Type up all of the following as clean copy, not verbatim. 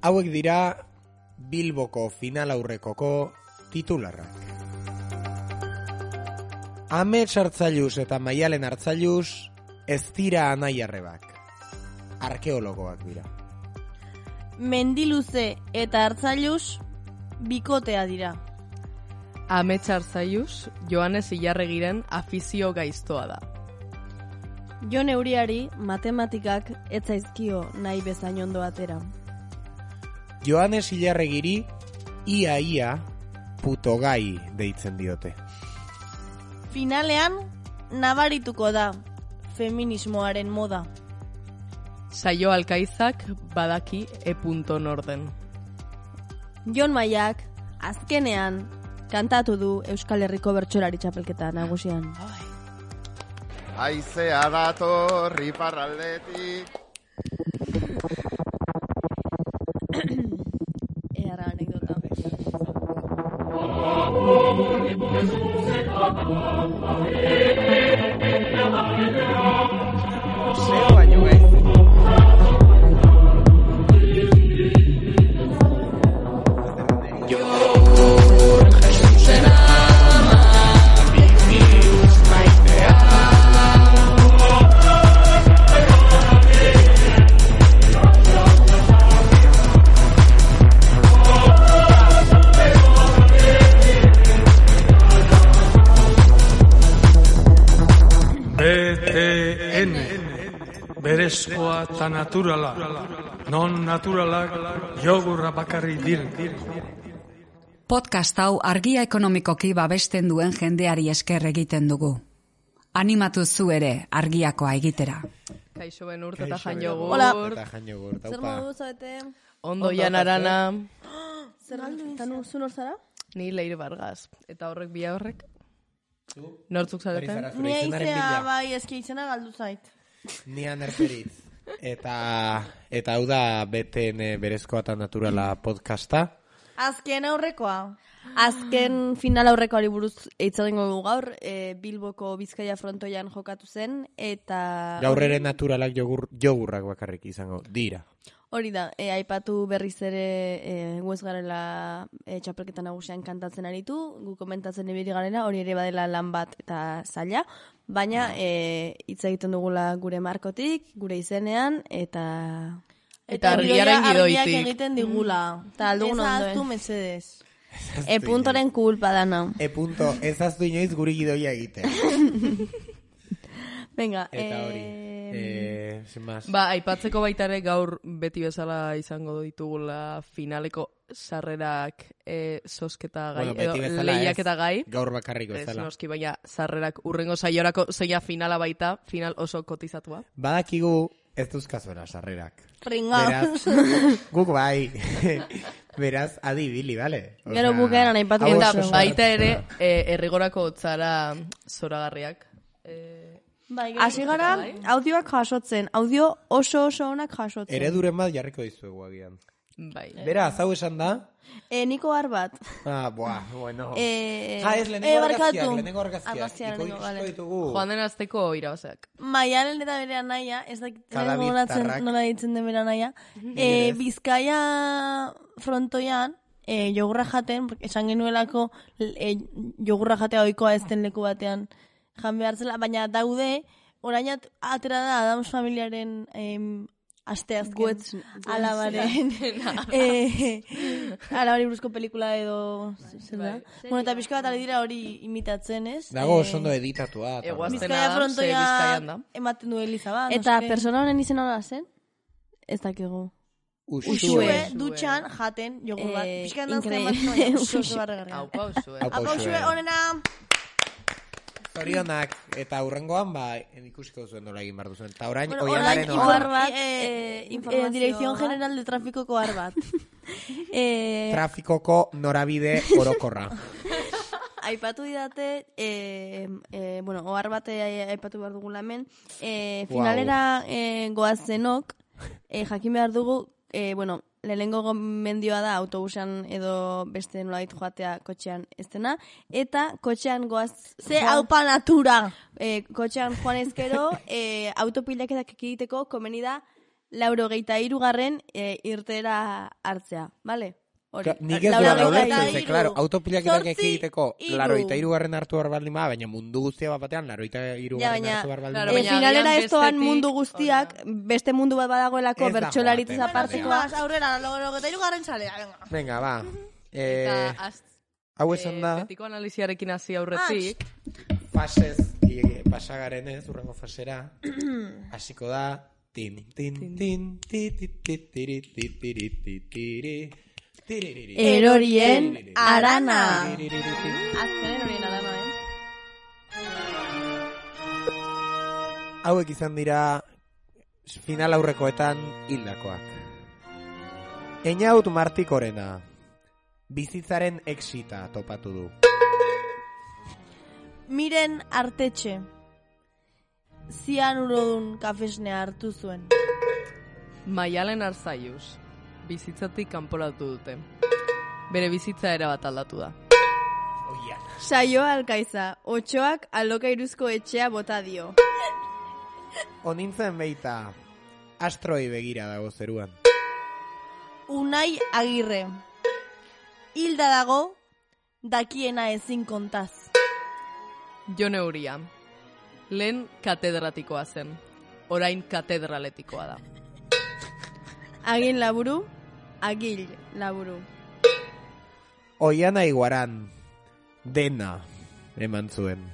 Hauek dira Bilboko final aurrekoko titularrak. Amets Hartzailuz eta Maialen Hartzailuz ez dira anai-arrebak. Arkeologoak dira. Mendiluze eta Hartzailuz bikotea dira. Amets Hartzailuz Joanes Ilarregiren afizio gaiztoa da. Jon Euriari matematikak ez zaizkio nahi bezain ondo atera. Joanes Ilarregiri ia putogai deitzen diote. Finalean nabarituko da feminismoaren moda. Saio Alkaizak badaki norden. Jon Maiak azkenean kantatu du Euskal Herriko bertsolari txapelketa nagusian. Haizea dator iparraldetik. Erra anekdota. Zeo baino gaizki. BTN berezkoa eta naturala, non naturalak jogurra bakarri dir. Podcast hau argia ekonomikoki babesten duen jendeari esker egiten dugu. Animatu zu ere argiakoa egitera. Kaixo Benurt eta Jan Jogurt. Hola. Eta Jan Jogurt, Zer aupa. modu zaete? Ondo Jan Arana. Zer galdu izan? Zu nor zara? Ni Leire Vargas. Eta horrek bia horrek? Nortzuk zareten? Ni aizea bai eski izena galdu zait. Ni Anerperitz. Eta hau da BTN berezkoa eta naturala podcasta. Azken aurrekoa. Azken final aurrekoari buruz hitz egingo dugu gaur, Bilboko Bizkaia frontoian jokatu zen, eta... Gaur ere naturalak jogurrak bakarrik izango dira. Hori da, aipatu berriz ere guez garela txapelketa nagusian kantatzen aritu, gu komentatzen ibili garela, hori ere badela lan bat eta zaila, baina hitz egiten dugula gure markotik, gure izenean, eta argiaren gidoitik. Argiak egiten digula. Eta aldugun ondo. Ez aztu mesedez. Puntoren kulpa dana. Punto, ez aztu inoiz guri gidoia egite. Venga, Eta hori, sin más. Ba, aipatzeko baita ere gaur beti bezala izango ditugula finaleko sarrerak sosketa gai, Bueno, beti bezala lehiaketa gai. Gaur bakarriko Ez bezala. noski, baina sarrerak urrengo saiorako zeina finala baita, final oso kotizatua. Badakigu ez duzkazuela sarrerak. Pringa. Beraz, guk bai. Beraz, adibili, bale? Gero bukaeran aipatu Eta oso. baita ere, errigorako zara zoragarriak. Bai, hasi gara, audioak jasotzen. Audio oso onak jasotzen. Ereduren bat jarriko dizuegu agian. Bai. Beraz, hau esan da? Niko Arbat. Bueno. Ez, lehenengo argazkiak. Argazkiak, Ikusko ditugu. Joan den azteko irabazeak. Maialen eta bere anaia, ez da Kadabitarrak. nola ditzen den bere anaia, Bizkaia frontoian, jogurra jaten, esan genuelako jogurra jatea ohikoa ez den leku batean jan behar zela, baina daude, orain atera da Adams familiaren asteazken alabaren alabari buruzko pelikula edo zer da? Bueno, eta pixka bat ari dira hori imitatzen, ez? Dago oso ondo editatua. Bizkaia frontoia ematen du Eliza bat. Eta persona honen izena da zen? Ez dakigu. Uxue dutxan jaten jogur bat. Pixka dantzen ematen oso barregarria. Aupa Uxue. Aupa Uxue, honena! Zorionak, eta hurrengoan, ikusiko zuen nola egin behar duzuen. Eta orain, oianaren informazio. Dirección General de Trafikoko Arbat. Trafikoko norabide orokorra. Aipatu didate, ohar bat aipatu behar dugula hemen, finalera goazenok, jakin behar dugu, lehenengo gomendioa da autobusan edo beste nolait joatea kotxean ez dena, eta kotxean goaz... Ze haupa natura! Kotxean joan ezkero, autopilaketak egiteko komeni da 83. Irtera hartzea, bale? Nik ez duela ulertzen, ze, claro, autopilaketak egiteko 83. hartu behar baldin ba, baina mundu guztia bat batean 83. hartu behar baldin ba. Finalera ez doan mundu guztiak, beste mundu bat badagoelako bertxolaritz apartekoa. Aurrera, 83. Zalea, venga, ba. Hau esan da... Betiko analiziarekin hasi aurretik. Fasez, pasagaren ez, urrengo fasera. Hasiko da... Tin, tin, tin, Erorien arana. Azken erorien arana, Hauek izan dira final aurrekoetan hildakoak. Einaut Martikorena bizitzaren exita topatu du. Miren Artetxe zianurodun kafesnea hartu zuen. Maialen Arzaius bizitzatik kanporatu dute. Bere bizitza erabat aldatu da. Saioa Alkaiza, Otxoak alokairuzko etxea bota dio. Onintzen beita, astroi begira dago zeruan. Unai Agirre, hilda dago, dakiena ezin kontaz. Jon Euria, lehen katedratikoa zen, orain katedraletikoa da. Agil Laburu, Agil Laburu. Oiana Iguaran, dena eman zuen,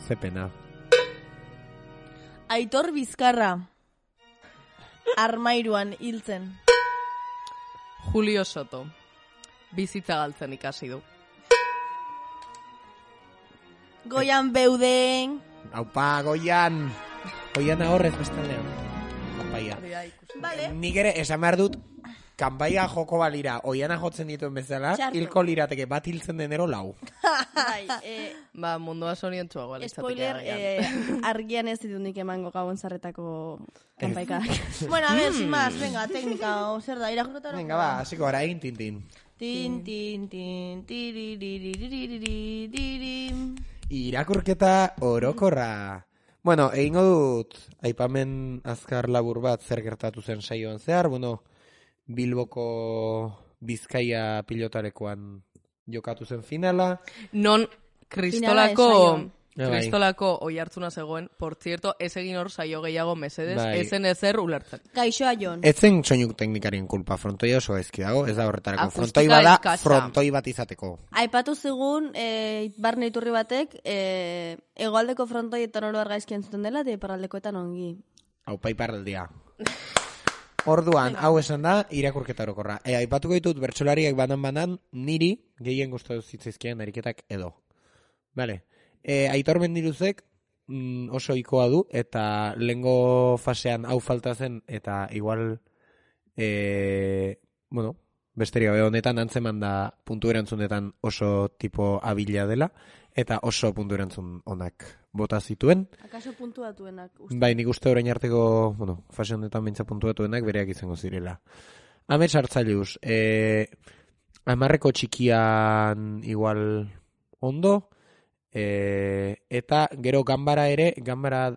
zepena. Aitor Bizkarra, armairuan hiltzen. Julio Soto, bizitza galtzen ikasi du. Goian Beuden. Aupa, Goian! Goiana horrez bestalean. Kanpaia. Vale. Nik ere, esan behar dut, kanpaia joko balira, Oiana jotzen dituen bezala, hilko lirateke bat hiltzen denero 4. Ba, mundua sorientzuagoa Spoiler, argian ez ditut nik emango gabon zarretako kanpaikak. Bueno, a ver, sin más, venga, teknika, zer da, irakurketa. Venga, ba, hasiko gara egin tintin. Tin, tiriririririririririm. Irakurketa orokorra. Bueno, egingo dut, aipamen azkar labur bat zer gertatu zen saioan zehar, bueno, Bilboko Bizkaia pilotarekoan jokatu zen finala. Non Kristolako oi hartzuna zegoen, por cierto, ez egin hor saio gehiago mesedes, ezen ezer ulertzen. Gaixoa Jon. Etzen soinuk teknikarien kulpa, frontoia oso ezki dago, ez da horretarako. Frontoi bada, frontoi bat izateko. Aipatu zigun, barne iturri batek, hegoaldeko frontoietan oro argaizkien zuten dela, eta iparraldekoetan ongi. Aupa iparraldia. Orduan, hau esan da, irakurketa orokorra. Aipatuko ditut bertsolariak banan, niri gehien gustatu zitzaizkien ariketak edo. Vale. Aitor Mendiruzek oso ikoa du, eta lehengo fasean hau falta zen, eta igual, bueno, besterik gabe honetan antzeman da puntu erantzunetan oso tipo abila dela, eta oso puntu erantzun onak bota zituen. Akaso puntuatuenak? Bai, nik uste orain arteko, bueno, fase honetan bintza puntuatuenak bereak izango zirela. Amets Hartzaius, 10 txikian igual ondo, eta gero Ganbara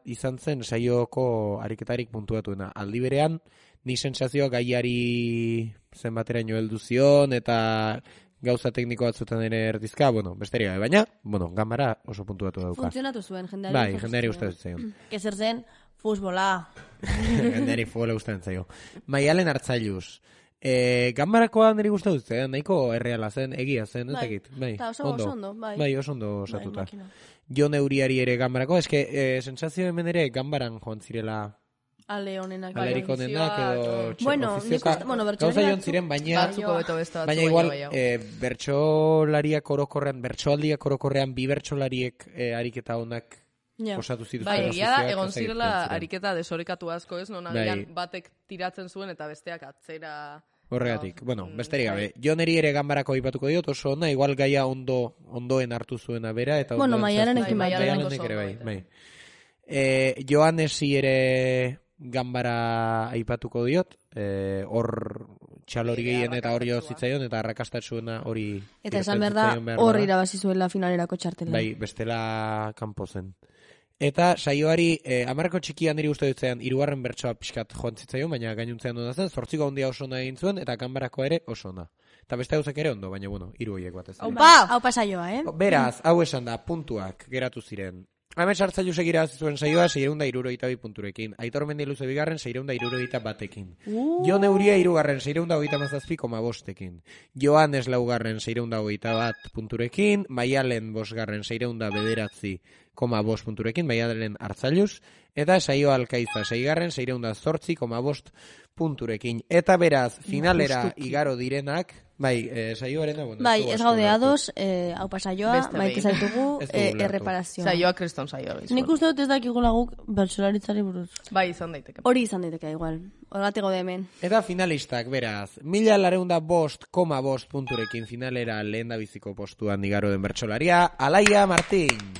izan zen saioko ariketarik puntuatuena. Aldi berean, ni sensazioa gaiari zenbateraino heldu zion, eta gauza tekniko batzutan ere erdizka, bueno, besterik gabe, baina, bueno, Ganbara oso puntuatu dauka. Funtzionatu zuen, jendeari. Bai, jendeari gustatzen zaio. Kezer zen, fusbola. Jendeari futbola gustatzen zaio. Maialen Hartzailuz. Ganbarakoa niri gustatu zen, nahiko erreala zen, egia zen, ez dakit. Bai, oso ondo, bai. Bai, oso ondo osatuta. Jon Euriari ere Ganbarako, eske, sensazio hemen ere Ganbaran joan zirela... Ale honenak. Alerik honenak edo... Bueno, gauza joan ziren, baina igual bertsolariak orokorrean, bertsoaldiak orokorrean, bi bertsolariek ariketa honak osatu zituzten. Bai, egia da, egon zirela ariketa desorekatu asko ez, non agian batek tiratzen zuen eta besteak atzera... Horregatik, bueno, besterik gabe. Joneri ere Ganbarako aipatuko diot, oso ona, igual gaia ondoen hartu zuena bera, eta bueno, Maialenekin bai. Joanesi ere Ganbara aipatuko diot, hor txalori gehien eta hori zitzaion, eta arrakastatsuena hori... Eta esan behar da, hor irabazi zuela finalerako txartela. Bai, bestela kanpo zen. Eta saioari, amarreko txikian niri uste dutzean, 3. bertsoa pixkat joan zitzaion, baina gainuntzean duna zen, 8 handia oso ona egin zuen, eta kanbarako ere oso ona. Eta beste gauzak ere ondo, baina, 3 horiek bat ez. Hau pasaioa, Beraz, hau esan da, puntuak geratu ziren. Amets Hartzailu segira zuen saioa 672 punturekin. Aitor Mendiluze bigarren 671 batekin. Jon Euria hirugarren 637,5ekin. Joanes laugarren 621 punturekin. Maialen bosgarren 609,5 punturekin. Maialen Hartzailuz. Eta saioa Alkaiza seigarren 608,5 punturekin. Eta beraz, finalera igaro direnak, saioaren bueno, bai, ez gaude ados, hau pasaioa, maite zaitugu, erreparazioa. Saioa kriston saioa. Nik uste dut ez dakigula guk bertsolaritzari buruz. Bai, izan daiteke. Hori izan daiteke, igual. Horregatik gaude hemen. Eta finalistak, beraz, 1.405 punturekin finalera lehendabiziko postuan igaro den bertsolaria, Alaia Martin.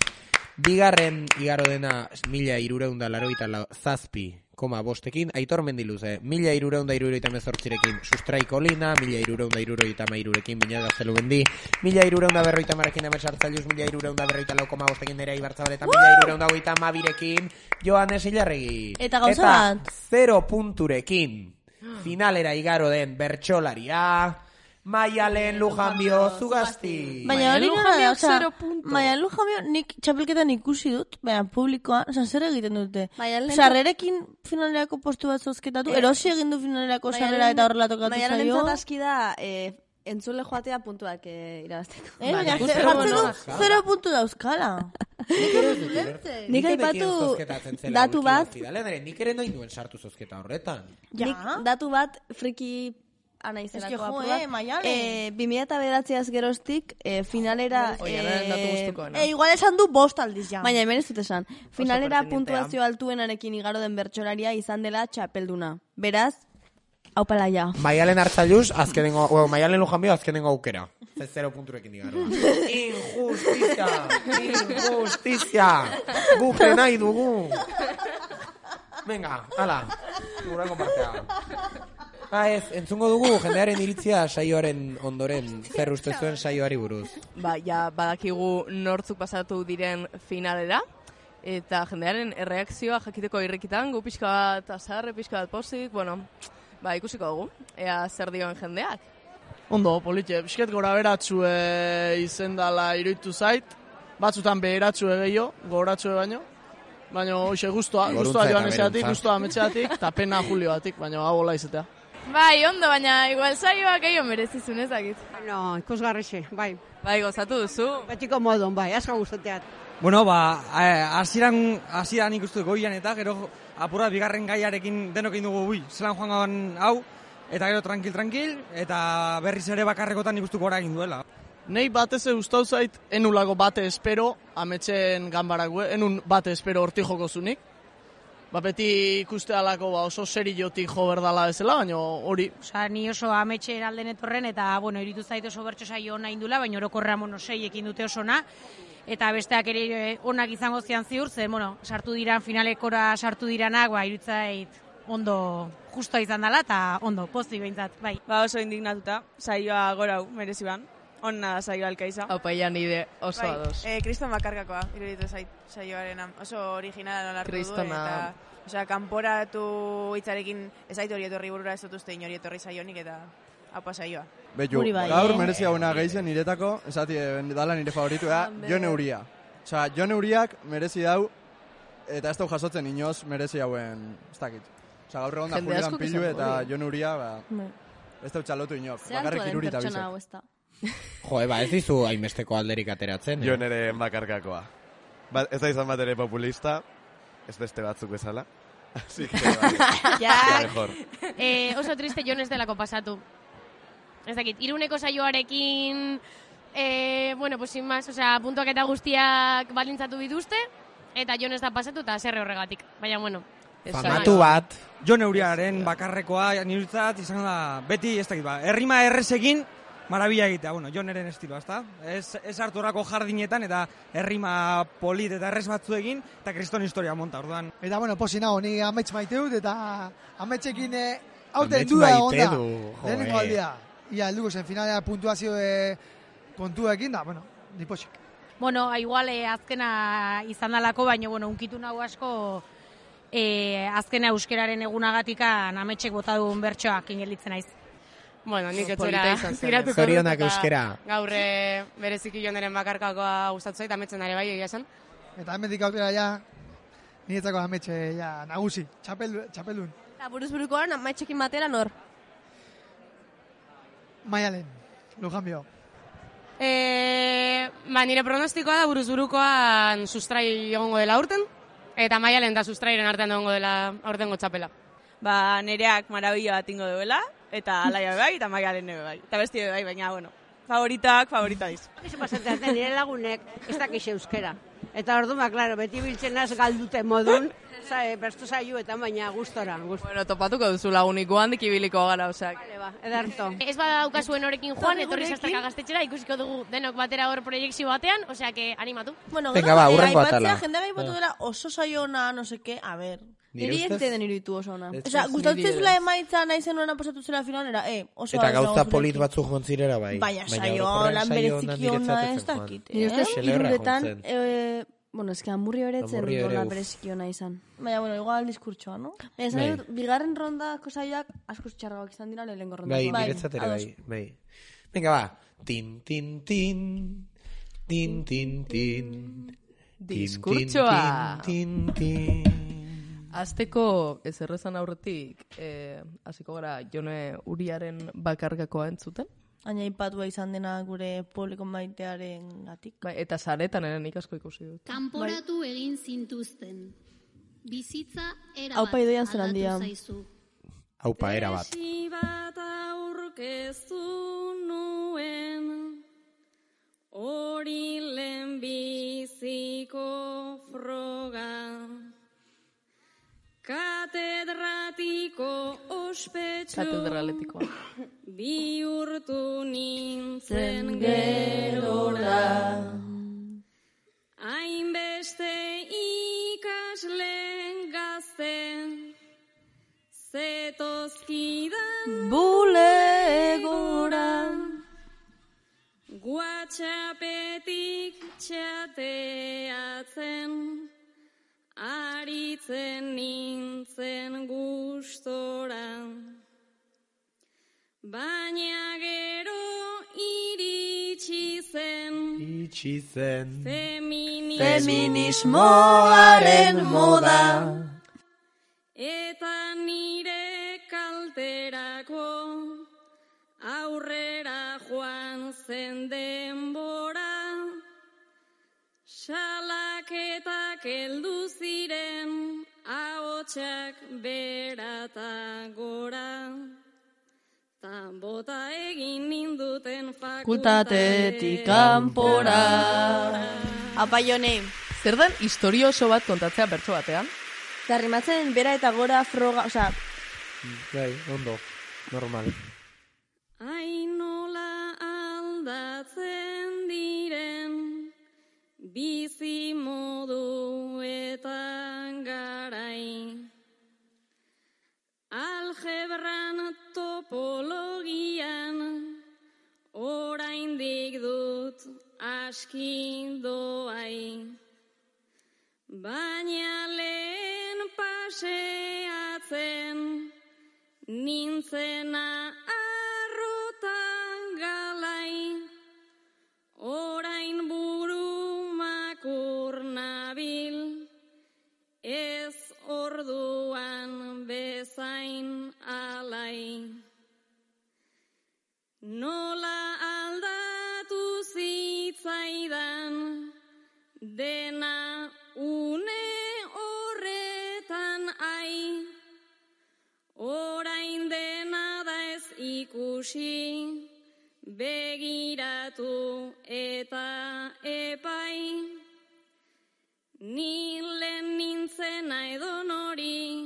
Bigarren igaro dena 1.387,5ekin, Aitor Mendiluze, 1.378ekin Sustraiko Lina, 1.373ekin Biñaga Zelubendi, 1.350ekin Amets Hartzailuz, 1.344,5ekin Nerea Ibarzabal eta 1.322ekin Joanes Ilarregi. Eta gauza bat? 0 punturekin finalera igaro den bertsolaria Maialen Lujanbio Zugasti. Baina hori gara, Maialen Lujanbio nik txapelketan ikusi dut, baina publikoan, zer egiten dute? Sarrerekin finalerako postu bat zozketatu, erosi egin du finalerako sarrera eta horrela tokatu zaio. Maialen entzatazki da, entzule joatea puntuak irabazteko. Baina jartzen du 0 puntu dauzkala. Nik aipatu datu bat. Nik ere nahi duen sartu zozketa horretan. Nik datu bat friki anaizerako apua. 2009 geroztik finalera... Igual esan du 5 aldiz ja. Baina hemen ez dut esan. Finalera puntuazio altuenarekin igaro den bertsolaria izan dela txapelduna. Beraz, hau pala ja. Maialen Hartzailuz, Maialen Lujanbio azkenengo aukera. 0 punturekin igaro. Injustizia! Guk nahi dugu! Venga, hala, gurako partea. Entzungo dugu jendearen iritzia saioaren ondoren, zer uste zuen saioari buruz. Badakigu nortzuk pasatu diren finalera, eta jendearen erreakzioa jakiteko irrikitan, gu pixka bat azarre, pixka bat pozik, ikusiko dugu, ea zer dioen jendeak. Ondo, politxe, pixket gora beratzu izendala iruditu zait, batzutan beheratzu gehiago, goratzu baino, baina hoxe guztua joan ezeatik, guztua ametxeatik, eta pena Julioatik, baina hau hola izatea. Bai, ondo, baina igual saioak gehiago merezizun ezakit. No, ikusgarrixe, bai. Bai, gozatu duzu. Betiko modon, bai, asko gustateat. Bueno, hasieran ikustu goian eta gero apura bigarren gaiarekin denokin dugu, zelan joan hau, eta gero tranquil, eta berriz ere bakarrekotan ikustuko gora egin duela. Nei batez gustau zait, enulako bate espero, ametxen ganbarak, enun bate espero horti joko zunik. Beti ikuste alako oso seriotik jo berdala bezala, baina hori. Ni oso ametxe eralden etorren, eta, iritu zait oso bertso saio ona indula, baina orokorra 6 ekin dute osona, eta besteak ere onak izango zian ziur, sartu diran, finalekora sartu diranak, irutzait ondo justoa izan dela, eta ondo, pozik behintzat, bai. Oso indignatuta, saioa gorau, mereziban. Onna saioa Alkaiza. Aupaia nide oso ados. Kriston bakarkakoa, iruditu zait saioaren oso originala nolartu du, eta kanporatu hitzarekin ez zait hori etorri burura ez dut uste inori etorri saionik, eta haupa saioa. Betu, gaur merezia una gaizen niretako, esati dala nire favoritua, Jon Euria. Jon Euriak merezi dau, eta ez dau jasotzen inoz merezi hauen, ez dakit. Gaur egon da Julian Pilu eta Jon Euria, ez dau txalotu inok, bakarrik irurita bizet. Ez dizu hainbesteko alderik ateratzen. Jon ere bakarkakoa. Ez da izan bat ere populista, ez beste batzuk bezala. Así que mejor. Oso triste Jon ez delako pasatu. Ez dakit, Iruneko saioarekin, sin más, puntuak eta guztiak balintzatu dituzte, eta Jon ez da pasatu eta zerre horregatik. Baina, famatu bat. Jon Euriaren bakarrekoa nirutzat izan da, beti ez dakit, errima errezekin, marabila egitea, Jon eren estiloa, ezta? Ez hartu horako jardinetan, eta errima polit eta errez batzu egin, eta kriston historia monta, orduan. Eta, posi nago, ni amets maite dut, eta ametsekin Aurten duda onda. Lehenengo aldia. Ia, helduko zen finalea puntuazio kontuekin da, bueno, nipoxik. Bueno, igual azkena izan dalako, baina, bueno, unkitu nahu asko azkena euskeraren egunagatika nametxek bota duen bertsoak ingelitzen naiz. Bueno, nik etzera ziratuko dut. Zorionak euskera. Gaur bereziki joneren bakarkakoa gustatu zait, ametzen dare bai, egia esan. Eta hemendik aurrera ja, niretzako ametxe ja nagusi, txapeldun. Eta buruz-burukoan ametxekin batera nor? Maialen, Lujanbio. Nire pronostikoa da buruz-burukoan sustrai egongo dela aurten, eta Maialen da sustrairen artean egongo dela aurtengo txapela. Nereak marabila bat ingo duela, eta Alaia bai, eta Maialen nebe bai. Eta besti bai, baina, bueno, favorita diz. Eso pasatzen, nire lagunek ez dakiz euskera. Eta orduan, klaro, beti biltzen az galdute modun, bertu saioetan, baina gustora. Bueno, topatuko duzu laguniko handik ibiliko gara, osak. Vale, ba, edarto. Ez badaukazuen horekin joan, etorri zaztaka gaztetxera, ikusiko dugu denok batera hor proiektzio batean, osea, animatu. Bueno, venga, ba, urrengo atala. Jendeak aipatu dela oso saiona, no seke, a ver. Niri ez den iruditu oso ona. Osea, gustatzezula emaitza nahi zenuen pasatu zela finalera, oso eta gauza polit batzuk jontzirera bai. Baina saio, lan bereziki ona ez dakit. Nire ustez, iruretan, bueno, eski hamburri horetzen dola bereziki ona izan. Baina, bueno, igual diskurtsoa, no? Bigarren rondako saioak asko txarragoak izan dira lehenengo ronda. Bai, niretzatera bai. Venga, ba. Tin, tin, tin. Tin, tin, tin. Diskurtsoa. Tin, tin, tin. Azteko ez errezan aurretik, hasiko gara Jone Uriaren bakargakoa entzuten. Baina ipatua izan dena gure publiko maitearen gatik. Bai, eta saretan eren ikasko ikusi dut. Kanporatu egin zintuzten. Bizitza erabat aldatu zaizu. Aupa, erabat. Tesi bat aurkeztu nuen, hori lehenbiziko froga. Katedratiko ospetsu bihurtu nintzen gerora. Hainbeste ikasle gazten zetozkidan bulegora. WhatsAppetik txateatzen aritzen nintzen gustora, baina gero iritsi zen feminismoaren moda, eta nire kalterako aurrera joan zen denbora. Salaketak heldu ziren, ahotsak berata gora, ta bota egin ninduten fakultatetik kanpora. Apa, Jone, zer den historio oso bat kontatzea bertso batean? Zarrimatzen bera eta gora froga, osea... Bai, ondo, normal. Ainola aldatzen diren, bizi modu eta garai, algebran topologian, oraindik dut aski doai, baina lehen paseatzen, nintzena arrotan galai, orain burumakur nabil, ez orduan bezain alai. Nola aldatu zitzaidan dena une horretan ai, orain dena da ez ikusi, begiratu eta epai, nilen nintzena edon hori,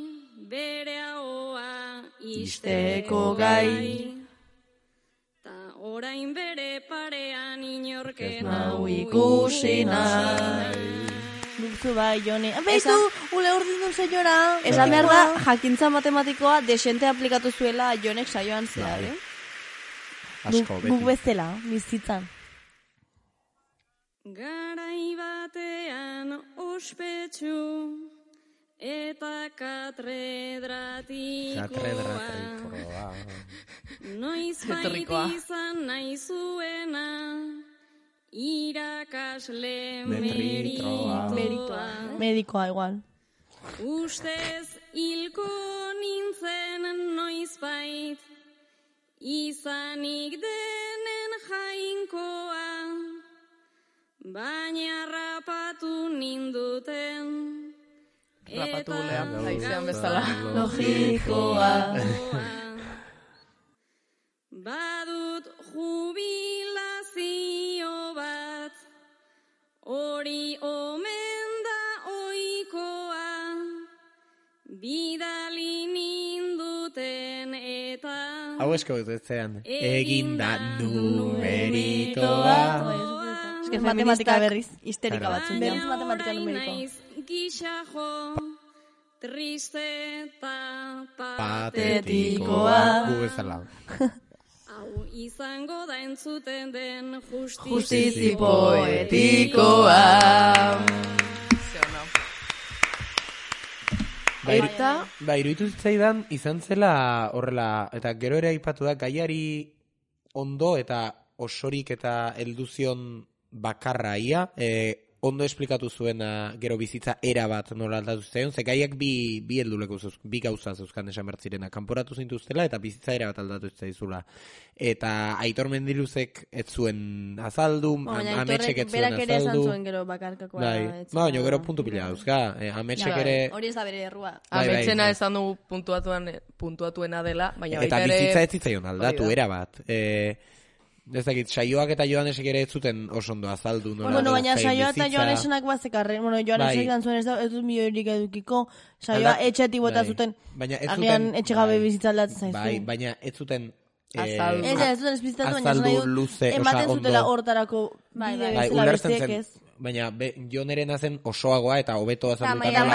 bere ahoa isteko gai, ta orain bere parean inorken hau ikusi nahi. urtzu bai, Jone. Beitu, ule urdin duen zeiora. Esan behar da, jakintza matematikoa desente aplikatu zuela Jonek saioan zehar, Asko, beti. Guk bezala, bizitzan. Garai batean ospetsu eta katredratikoa. Noiz baita izan nahi zuena irakasle meritoa. Medikoa, igual. Ustez hilko nintzen noizbait izanik denen jainkoa. Baina rapatu ninduten Rapatu gulean, haizean bezala. Logikoa. Badut jubilazio bat, hori omen da oikoa, bidali ninduten eta Hau esko betetzean. Eginda numeritoa. Es que matematika berriz. Histerika batzun. Berriz matematika numeriko. Gixajo, triste eta Patetikoa. Gu bezala. Hau izango da entzuten den Justizi poetikoa. Iruditu zitzaidan izan zela horrela, eta gero ere aipatu da, gaiari ondo eta osorik eta helduzion bakarra ia, ondo esplikatu zuena gero bizitza era bat nola aldatu zitzaion, ze gaiak bi gauza zeuzkan esan bertzirena, kanporatu zintuztela eta bizitza era bat aldatu zitzaizula. Eta Aitor Mendiluzek ez zuen azaldu, Ametxek ez zuen azaldu. Berak ere esan zuen gero bakarkakoa. Baina gero puntu pila dauzka, Ametxek ere... Hori ez da bere errua. Ametxena esan du puntuatuena dela, baina eta bizitza ez zitzaion aldatu, era bat. Ez dakit, Saioak eta Joanesek ere ez zuten oso ondo azaldu. Bueno, baina Saioa eta Joanesenak bazekarren. Bueno, Joanesek dan zuen ez dut milioirik edukiko. Saioa etxetik bota zuten. Agian etxegabe bizitza aldatzen zaizu. Baina ez zuten... Azaldu. Ez zuten esplizitatu, baina luze, ematen zutela hortarako bide bezala besteek ez. Baina Jonerena zen osoagoa eta hobeto azaldutan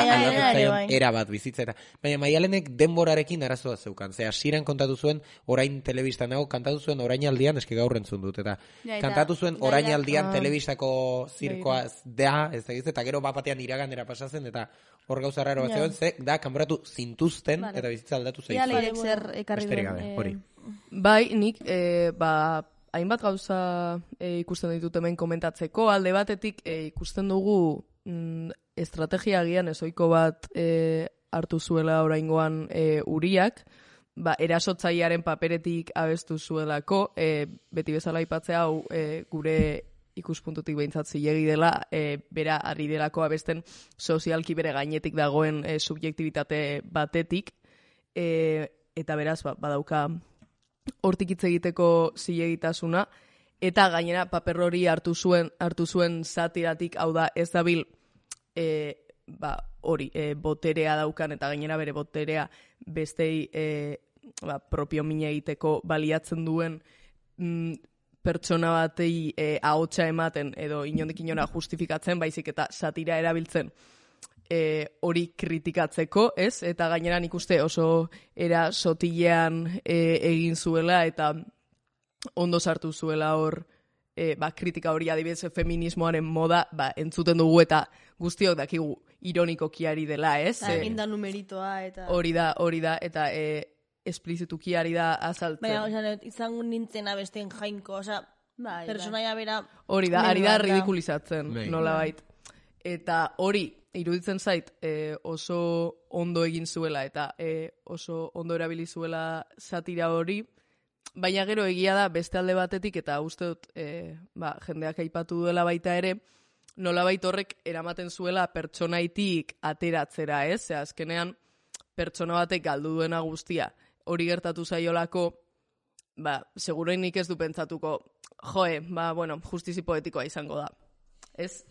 era bat bizitzeta. Baina Maialenek denborarekin arazoa zeukan. Ze hasieran kontatu zuen orain telebistan nago, kantatu zuen orainaldian, eske gaur entzun dut. Eta kantatu zuen orainaldian telebistako zirkoa da, ez da eta gero bapatean iraganera pasatzen, eta hor gauza raro bat zegoen, ze da, kanboratu zintuzten eta bizitza aldatu zeizu. Ia leirek zer ekarri duen. Bai, nik, hainbat gauza ikusten ditut hemen komentatzeko, alde batetik ikusten dugu estrategia agian ezoiko bat hartu zuela oraingoan Uriak, erasotzailearen paperetik abestu zuelako, beti bezala aipatzea hau gure ikuspuntutik behintzat zilegi dela, bera ari delako abesten sozialki bere gainetik dagoen subjektibitate batetik, eta beraz badauka hortik hitz egiteko zilegitasuna, eta gainera paper hori hartu zuen satiratik, hau da ez dabil hori boterea daukan, eta gainera bere boterea bestei propio mina egiteko baliatzen duen pertsona batei ahotsa ematen edo inondik inora justifikatzen, baizik eta satira erabiltzen hori kritikatzeko, ez? Eta gainera nik uste oso era sotilean egin zuela eta ondo sartu zuela hor kritika hori, adibidez feminismoaren moda entzuten dugu eta guztiok dakigu ironikoki ari dela, ez? Eginda numeritoa eta... Hori da, eta esplizituki ari da azaltzen. Baina, izango nintzen abesten jainko, personaia bera... Hori da, ari da ridikulizatzen, nola bait. Eta hori, iruditzen zait oso ondo egin zuela eta oso ondo erabili zuela satira hori, baina gero egia da beste alde batetik, eta uste dut jendeak aipatu duela baita ere, nolabait horrek eramaten zuela pertsonaitik ateratzera, ez? Ze azkenean pertsona batek galdu duena guztia hori gertatu zaiolako, segurenik ez du pentsatuko, justizi poetikoa izango da. Ez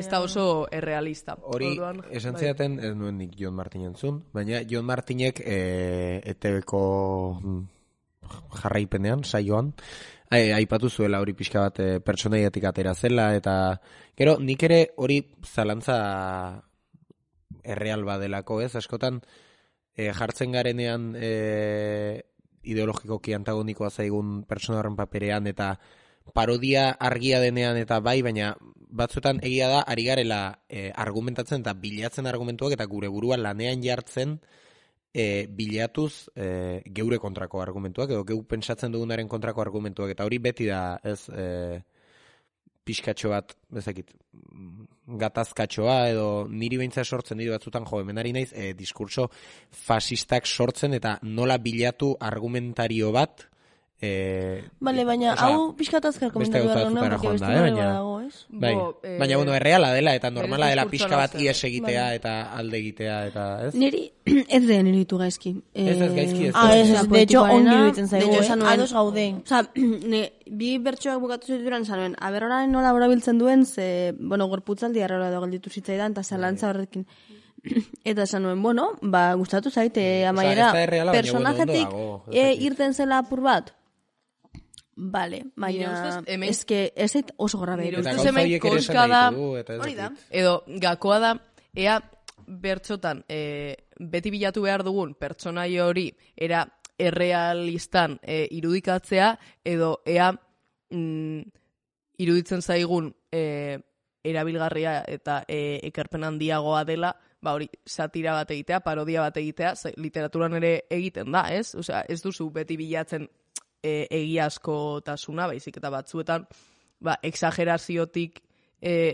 da oso errealista. Hori, esan zidaten, ez nuen nik Jon Martin entzun, baina Jon Martinek ETV-ko jarraipenean, saioan, aipatu zuela hori pixka bat pertsonaiatik atera zela, eta gero nik ere hori zalantza erreal badelako, ez? Askotan jartzen garenean ideologikoki antagonikoa zaigun pertsona horren paperean, eta parodia argia denean eta bai, baina batzuetan egia da ari garela argumentatzen eta bilatzen argumentuak eta gure burua lanean jartzen bilatuz geure kontrako argumentuak edo geu pentsatzen dugunaren kontrako argumentuak, eta hori beti da ez pixkatxo bat, bezakit, gatazkatxoa edo niri beintza sortzen ditu batzutan hemenari naiz diskurtso fasistak sortzen eta nola bilatu argumentario bat Vale, baina hau pixkatazkar komentatu behar duen, porque beste nore badago, ez? Baina, bueno, erreala dela eta normala dela pixka bat ies egitea eta alde egitea eta, ez? Niri, ez den iruditu gaizki. Ez gaizki, ez. De hecho, ongi iruditzen zaigu, ados gaude. Osa, bi bertsoak bukatu zituran zanuen, aberroraren nola borabiltzen duen, ze, bueno, gorputzaldi arrela edo gelditu zitzaidan, eta zalantza horrekin. Eta esan nuen, bueno, gustatu zaite, amaiera, personajetik irten zela apur bat. Vale, baina ez zait oso gorra behar. Nire ustez hemen koska da, edo gakoa da, ea bertxotan beti bilatu behar dugun pertsonai hori era errealistan irudikatzea, edo ea iruditzen zaigun erabilgarria eta ekarpen handiagoa dela, hori satira bat egitea, parodia bat egitea, literaturan ere egiten da, ez? Osea, ez duzu beti bilatzen egiazkotasuna, baizik eta batzuetan exageraziotik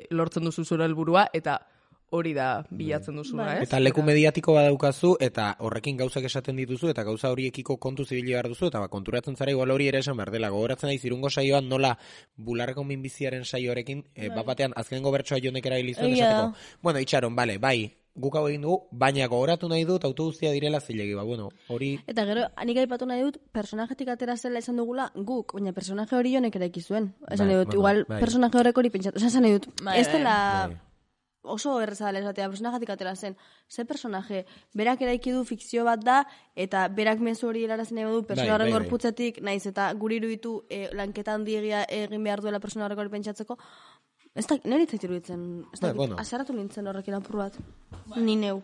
lortzen duzu zure helburua eta hori da bilatzen duzuna, ez? Eta leku mediatiko badaukazu eta horrekin gauzak esaten dituzu eta gauza horiekiko kontu zibili behar duzu eta konturatzen zara igual hori ere esan behar dela. Gogoratzen naiz Irungo saioan nola bularreko minbiziaren saioarekin batean azkenengo bertsoa Jonek erabilizuen esateko. Bueno, itxaron, bale, bai, guk hau egin dugu, baina gogoratu nahi dut autoguztia direla zilegi, bueno, hori... Eta gero, anik aipatu nahi dut, personajetik atera zela esan dugula guk, baina personaje hori Jonek eraiki zuen. Esan nahi dut, igual personaje horrek hori pentsatu. Esan nahi dut, ez dela oso errezadala esatea, personajetik atera zen. Ze personaje, berak eraiki du fikzio bat da, eta berak mezu hori helarazen nahi du, persona horren gorputzetik, naiz eta guri iruditu lanketa handiegia egin behar duela persona horrek hori pentsatzeko. Ez da, nire itzaitu iruditzen, azaratu nintzen horrekin apur bat. Ni neu.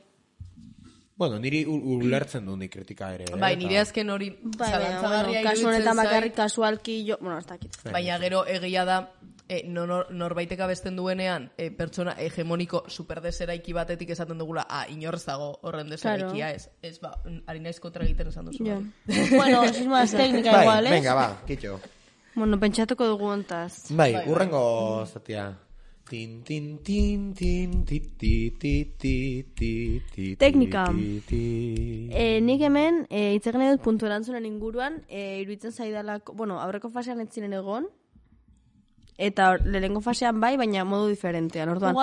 Bueno, niri ulertzen du ni kritika ere. Bai, nire azken hori zalantzagarria kasu honetan bakarrik kasualki jo, bueno, ez dakit. Baina gero egia da, norbaiteka besten duenean, pertsona hegemoniko superdeseraiki batetik esaten dugula, inorrez dago horren deseraikia, ez, ari naiz kontra egiten esan duzu. Bueno, ez más teknika igual, ez? Venga, kitxo. Bueno, pentsatuko dugu ontaz. Bai, urrengo zatia. Tin, tin, tin, tin, ti, ti, ti, ti, ti, ti, teknika. Nik hemen, itzegin edut puntu erantzunen inguruan, iruditzen zaidalako, bueno, aurreko fasean ez ziren egon, eta lehengo fasean bai, baina modu diferentean. Orduan,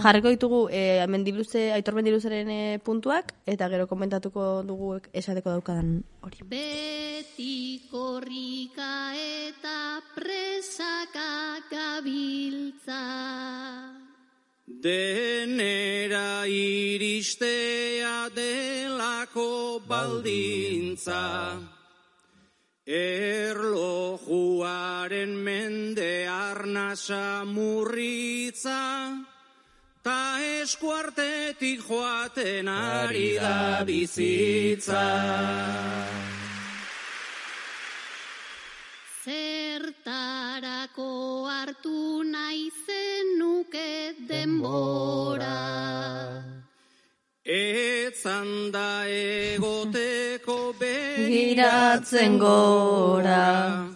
jarriko ditugu Aitor Mendiluzeren puntuak, eta gero komentatuko dugu esateko daukadan hori. Beti korrika eta presaka gabiltza, denera iristea delako baldintza, erlojuaren mende arnasa murritza, ta eskuartetik joaten ari da bizitza. Zertarako hartu nahi zenuke denbora, etzan da egoteko begiratzen gora.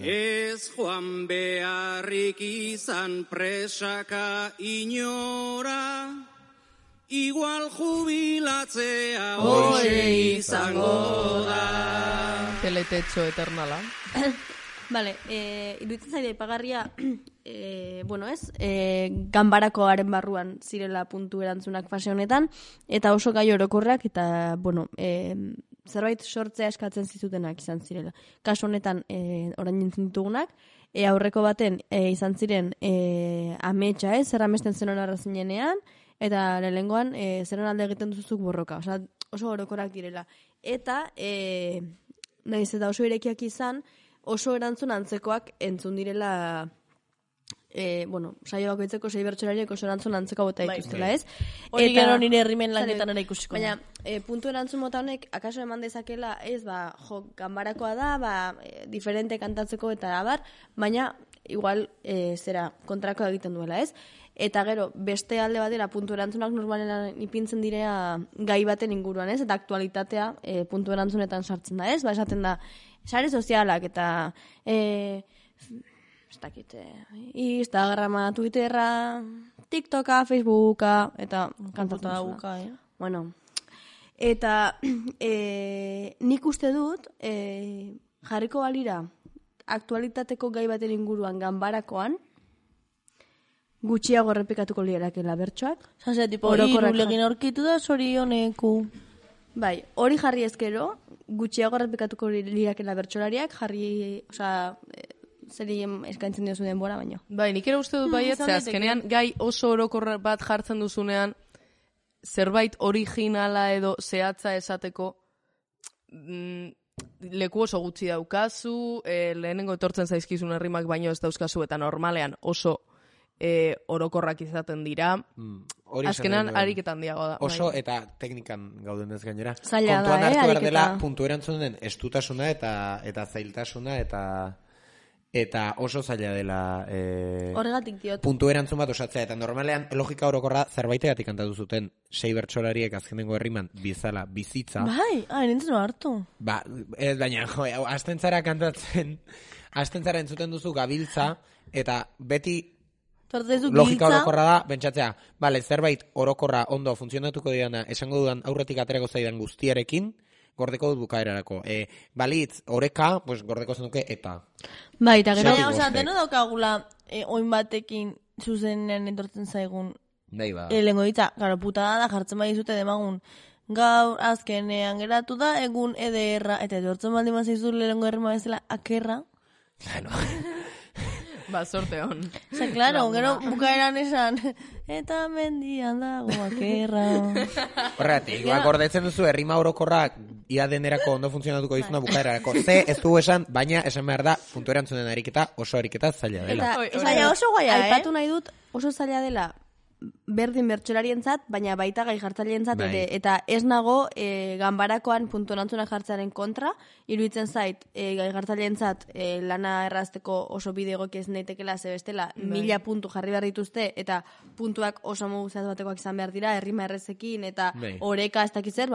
Ez joan beharrik izan presaka inora, igual jubilatzea hori izango da. Teletecho eternala. Vale, iruditzen zaide ipagarria, bueno ez, ganbarakoaren barruan zirela puntu erantzunak fase honetan, eta oso gai orokorrak, eta, bueno, zerbait sortzea eskatzen zizutenak izan zirela. Kasu honetan, orain nintzen ditugunak, aurreko baten izan ziren ametsa, zer amesten zenon arrazinenean, eta lehengoan zeron alde egiten duzuzuk borroka, oso orokorrak direla. Eta, nahiz eta oso irekiak izan, oso erantzun antzekoak entzun direla saio bakoitzeko 6 bertsolariek oso erantzun antzeko bota dituztela, ez? Hori gero nire herrimen lanetan ere ikusiko. Baina, puntu erantzun mota honek, akaso eman dezakela, ez, ganbarakoa da, diferente kantatzeko eta abar, baina, igual, kontrako egiten duela, ez? Eta gero, beste alde batera, puntu erantzunak normalen ipintzen direa gai baten inguruan, ez? Eta aktualitatea puntu erantzunetan sartzen da, ez? Esaten da, sare sozialak eta ez dakit, Instagrama, Twitterra, TikToka, Facebooka, eta kantatzen dauka, Bueno, eta nik uste dut, jarriko balira, aktualitateko gai baten inguruan ganbarakoan, gutxiago errepikatuko lirakela bertsoak. Zase, tipo, irulegin aurkitu da, zorioneku. Bai, hori jarri ezkero, gutxiago errepikatuko lirakela bertsolariak, jarri, zeri eskaintzen diozu denbora, baino. Bai, nik ere uste dut baiet, azkenean gai oso orokor bat jartzen duzunean, zerbait originala edo zehatza esateko leku oso gutxi daukazu, lehenengo etortzen zaizkizun herrimak baino ez dauzkazu, eta normalean oso orokorrak izaten dira. Azkenan ariketan diago da. Oso eta teknikan gauden ez gainera. Zaila da, kontuan hartu behar dela puntu erantzunen estutasuna eta zailtasuna eta oso zaila dela horregatik diot. Puntu erantzun bat osatzea, eta normalean logika orokorra zerbaitegatik kantatu zuten 6 bertsolariek azkenengo herriman bizala bizitza. Bai, nintzen hartu. Baina, astentzara kantatzen, astentzara entzuten duzu gabiltza, eta beti logika orokorra da, bentsatzea, zerbait orokorra ondo funtzionatuko diana, esango dudan aurretik aterako zaidan guztiarekin, gordeko dut bukaerarako. Balitz, oreka, gordeko zenuke eta. Bai, eta gero, deno daukagula oin batekin zuzenean entortzen zaigun. Lehengo ditza, gara, putada da jartzen bai zute demagun. Gaur azkenean geratu da, egun ederra, eta edortzen baldin mazaizu lehengo herrima bezala akerra. Sorte hon. Claro, gero bukaeran esan, eta mendian dago akerra. Horregatik, gordetzen duzu herrima orokorrak ia denerako ondo funtzionatuko dizuna bukaerarako. Ez du esan, baina esan behar da, puntu erantzunen ariketa, oso ariketa zaila dela. Eta oso guaia, aipatu nahi dut, oso zaila dela, berdin bertsolarientzat, baina baita gai jartzaileenzat, eta ez nago ganbarakoan puntu erantzunak jartzearen kontra, iruditzen zait gai jartzaileentzat lana errazteko oso bidegoki ez naitekela zebestela 1000 puntu jarri behar dituzte, eta puntuak oso modu zehaz batekoak izan behar dira, herrima errezekin, eta oreka ez dakitzer,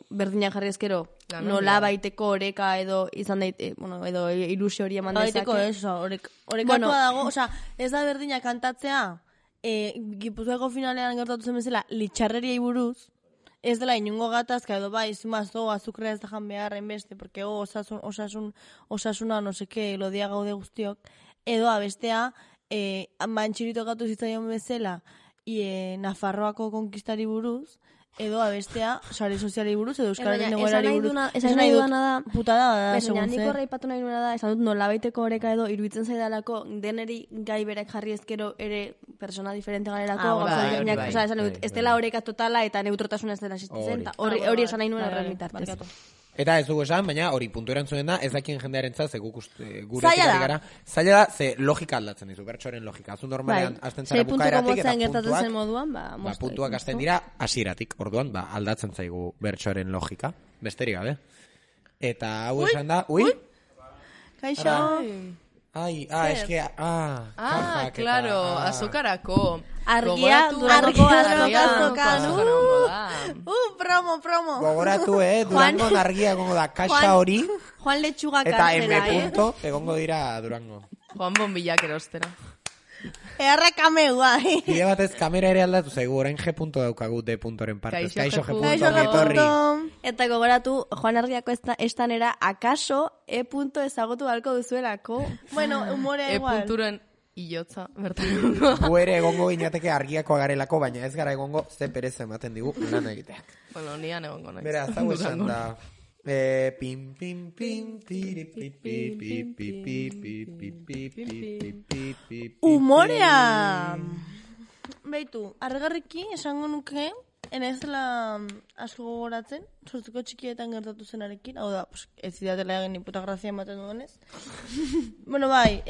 berdinak jarri ezkero, nola baiteko oreka edo izan daite, edo ilusio hori eman dezake. Orekatua dago, ez da berdinak kantatzea, Gipuzkoako finalean gertatu zen bezala litxarreriai buruz, ez dela inungo gatazka edo zimazo azukrea ez da jan beharren beste, porque osasuna no seke lodia gaude guztiok, edo abestea mantxirito gatu zitzaion bezala Nafarroako konkistari buruz, edo abestea sare soziali buruz, edo euskararen egoerari buruz. Esan nahi dudana da, putada da, segun zer. Nik horreipatu nahi duena da, esan dut nolabaiteko oreka edo iruditzen zaidalako deneri gai berek jarri ezkero ere persona diferente galerako, esan dut, ez dela oreka totala eta neutrotasuna ez dela existitzen, hori esan nahi nuen horren bitartez. Eta ez dugu esan, baina hori puntu erantzunen da, ez dakien jendearen zaz, gure gara. Zaila da, ze logika aldatzen dizu, bertsoren logika. Azun normalean, azten zara bukaeratik, eta puntuak azten dira, hasieratik, orduan, aldatzen zaigu bertsoren logika. Besterik gabe. Eta hau esan da, Kaixo. eske, claro, azukarako. Argia, Durango azokan. Promo. Gogoratu, Durango argia egongo da, kaxa hori. Juan Lechuga eta M punto egongo dira Durango. Juan Bombilak erostera. Errekame guai. Bide batez kamera ere aldatu zaigu, orain G punto daukagu D puntoren partez. Kaixo G punto. Eta gogoratu, Juan Argiako estanera akaso E punto ezagutu balko duzuelako. Bueno, humorea igual. E punturen iotza, bertan. Gu ere egongo ginateke argiako garelako, baina ez gara egongo ze perez ematen digu lan egiteak. Bueno, nian egongo naiz. Beraz, hau esan da. Pim, pim, pim, tiri, pi, pi, pi, pi, pi, pi, pi, pi, pi, pi, pi. Humorea! Beitu, argarriki esango nuke, ez dela asko gogoratzen, sortzeko txikietan gertatu zenarekin, hau da, ez zidatela egin puta grazia ematen duenez. Bueno, bai,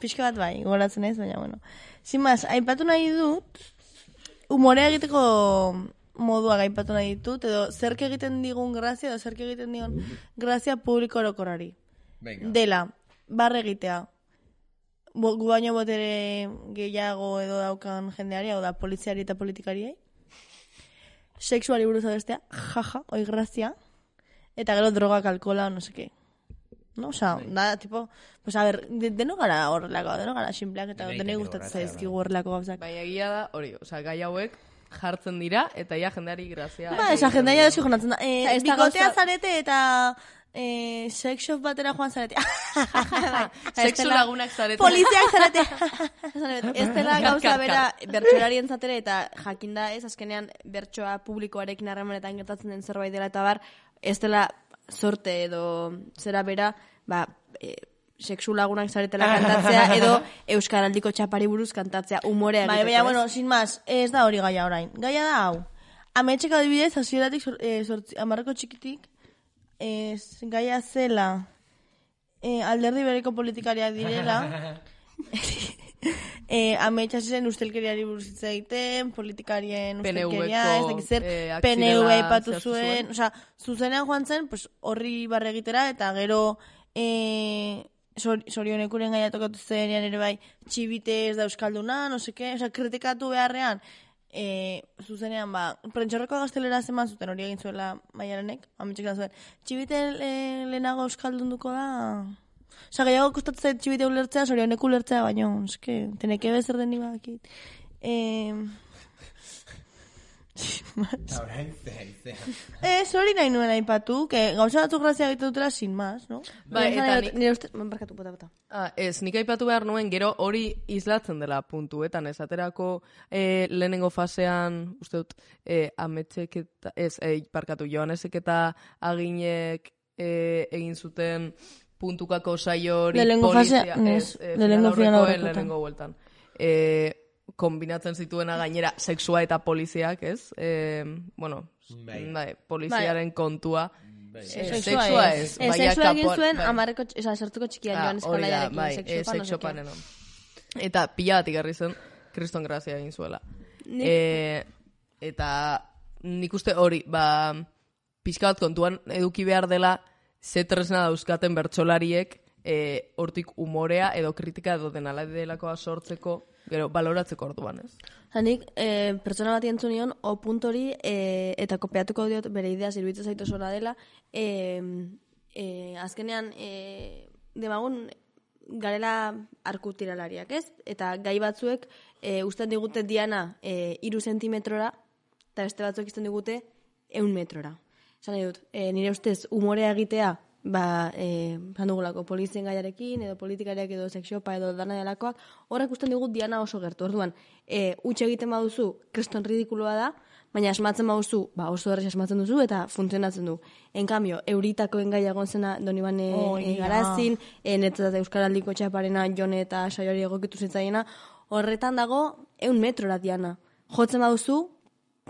pixka bat bai, gogoratzen ez, baina, bueno. Sin más, aipatu nahi dut, umorea egiteko modua gaipatu nahi ditut, edo zerk egiten digun grazia, edo zerk egiten digun grazia publiko orokorari. Dela, barre egitea. Gu baino botere gehiago edo daukan jendeari, hau da, poliziari eta politikariei. Sexuali buruz abestea, jaja, oi grazia. Eta gero drogak, alkola, no seke. No, oza, da, tipo, pues a ver, deno gara horrelako, deno gara simpleak, eta dene gustatzen zaizkigu horrelako gauzak. Baina egia da, hori, oza, gai hauek jartzen dira, eta ja jendeari grazia. Ba, esa jendeari deski jonatzen da. Bikotea zarete eta... sex shop batera joan zarete. Sexu lagunak zarete. Poliziak zarete. Ez dela gauza bera bertsolarien zatera eta jakinda ez, azkenean bertsoa publikoarekin harremanetan gertatzen den zerbait dela eta bar, ez dela sorte edo zera bera, sexu lagunak zaretela kantatzea edo Euskaraldiko txapari buruz kantatzea umorea egiteko. Baina, bueno, sin más, ez da hori gaia orain. Gaia da hau. Ametxek adibidez, hasieratik 10 txikitik, gaia zela alderdi bereko politikariak direla ametsa zen ustelkeriari buruz hitz egiten, politikarien ustelkeria, ez dakiz zer, PNV aipatu zuen, osea, zuzenean joan zen, pues horri barre egitera, eta gero sorionekuren gaia tokatu zenean ere bai, txibite ez da euskalduna, no seke, osea, kritikatu beharrean, zuzenean, prentxorreko gaztelera zeman zuten hori egin zuela Maialenek, ametxek zuen, txibite lehenago euskaldunduko da... Osa, gehiago kostatzen txibite ulertzea, sorionek ulertzea, baina, eske, teneke bezer den niba akit. Hori nahi nuen aipatu, gauza batzuk grazia egiten dutela sin más, no? Nire uste, barkatu, bota. Ez, nik aipatu behar nuen, gero hori islatzen dela puntuetan, ez aterako lehenengo fasean, uste dut, ametxek eta, barkatu, Joanesek eta Aginek egin zuten puntukako saio hori polizia, lehenengo bueltan. Kombinatzen zituena gainera sexua eta poliziak, ez? Poliziaren kontua. Sexua ez. Sexua egin zuen, sartuko txikian joan eskalaiarekin, sexopan enon. Eta pila bat igarri zen, kriston grazia egin zuela. Eta nik uste hori, pixka bat kontuan eduki behar dela, ze tresna dauzkaten bertsolariek hortik umorea edo kritika edo denala delakoa sortzeko, gero, baloratzeko orduan, ez? Hanik, pertsona bat entzun nion, puntori, eta kopiatuko diot bere idea zirbitzen zaitu zora dela, azkenean, demagun, garela arkutiralariak, ez? Eta gai batzuek, usten digute diana 3 zentimetrora, eta beste batzuek izten digute 1 metrora. Zan dut, nire ustez, umorea egitea, dugulako polizien gaiarekin, edo politikariak edo sexopa edo dana delakoak, horrek usten digut diana oso gertu. Orduan, utxe egiten baduzu, kriston ridikuloa da, baina asmatzen baduzu, oso errez asmatzen duzu, eta funtzionatzen du. En cambio, euritakoen gaia gontzena Donibane Garazin, netzat Euskaraldiko txaparena Jone eta Saioari egokitu zitzaiena, horretan dago 1 metrora diana. Jotzen baduzu,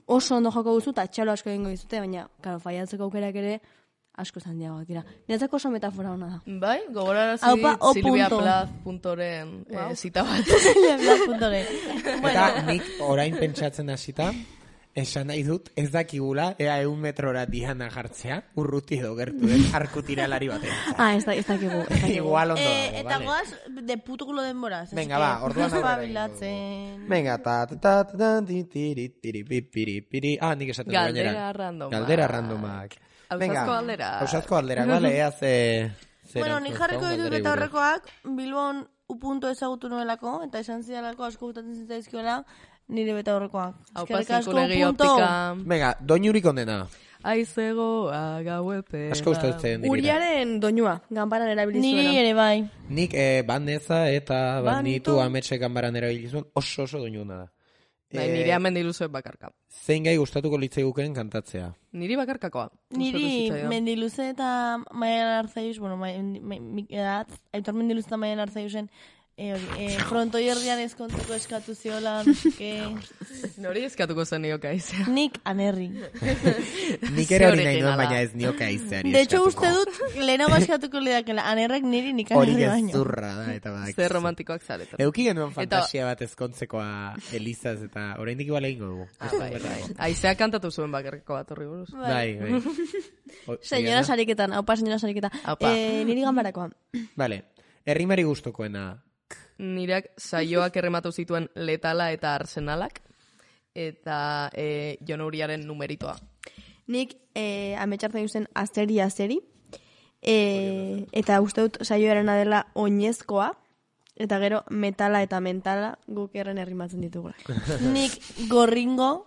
oso ondo joko duzu, eta txalo asko egingo dizute, baina, karo, faiatzeko aukerak ere, asko zandiagoak dira. Niretzako oso metafora hona da. Bai, gogorarazi silviaplaz.oren zita bat. Silviaplaz.oren. Eta nik orain pentsatzen hasita, esan nahi dut, ez dakigula, ea 1 metrora diana jartzea, urruti edo gertu den arkutiralari batean. Ez dakigu. Igual ondo dago, vale. Eta goaz, de putukulo denboraz. Venga, orduan Venga, nik esaten du gainera. Galdera randomak. Ausazko galderak, bale, Bueno, nik jarriko ditut eta horrekoak, Bilbon upunto ezagutu nuelako, eta esan zidalako asko gutatzen zitzaizkiola, nire beta horrekoak. Eskerrik asko upunto. Venga, doinurik ondena. Aizego, agauepe. Asko gustatzen dira. Uriaren doinua, ganbaran erabilizuena. Niri ere bai. Nik bandeza eta banitu ametxe ganbaran erabilizuen oso doinuna da. Nire Mendiluzuen bakarka. Zein gai gustatuko litzaiguken kantatzea? Niri bakarkakoa. Niri Mendiluze eta Maialen Arzaius, bueno, Aitor Mendiluze eta Maialen Arzaiusen frontoi herrian ezkontzeko eskatu ziola, Nori eskatuko zen nioka izea. Nik anerri. Nik ere hori nahi duen, baina ez nioka izeari eskatuko. De hecho, uste dut, lehenago eskatuko lidakela, anerrek niri nik anerri baino. Hori gezurra da, eta badak. Zer romantikoak zaretan. Euki genuen fantasia bat ezkontzekoa Elizaz, eta oraindik igual egingo dugu. Aizea kantatu zuen bakarriko bat horri buruz. Bai. Señora sariketan, haupa señora sariketan. Niri ganbarakoa. Vale, errimari gustokoena. Nireak saioak errematu zituen letala eta arsenalak, eta Jon Uriaren numeritoa. Nik ametxartzen duzen azeri, eta uste dut saioaren dela oinezkoa, eta gero metala eta mentala guk erren errimatzen ditugula. Nik gorringo,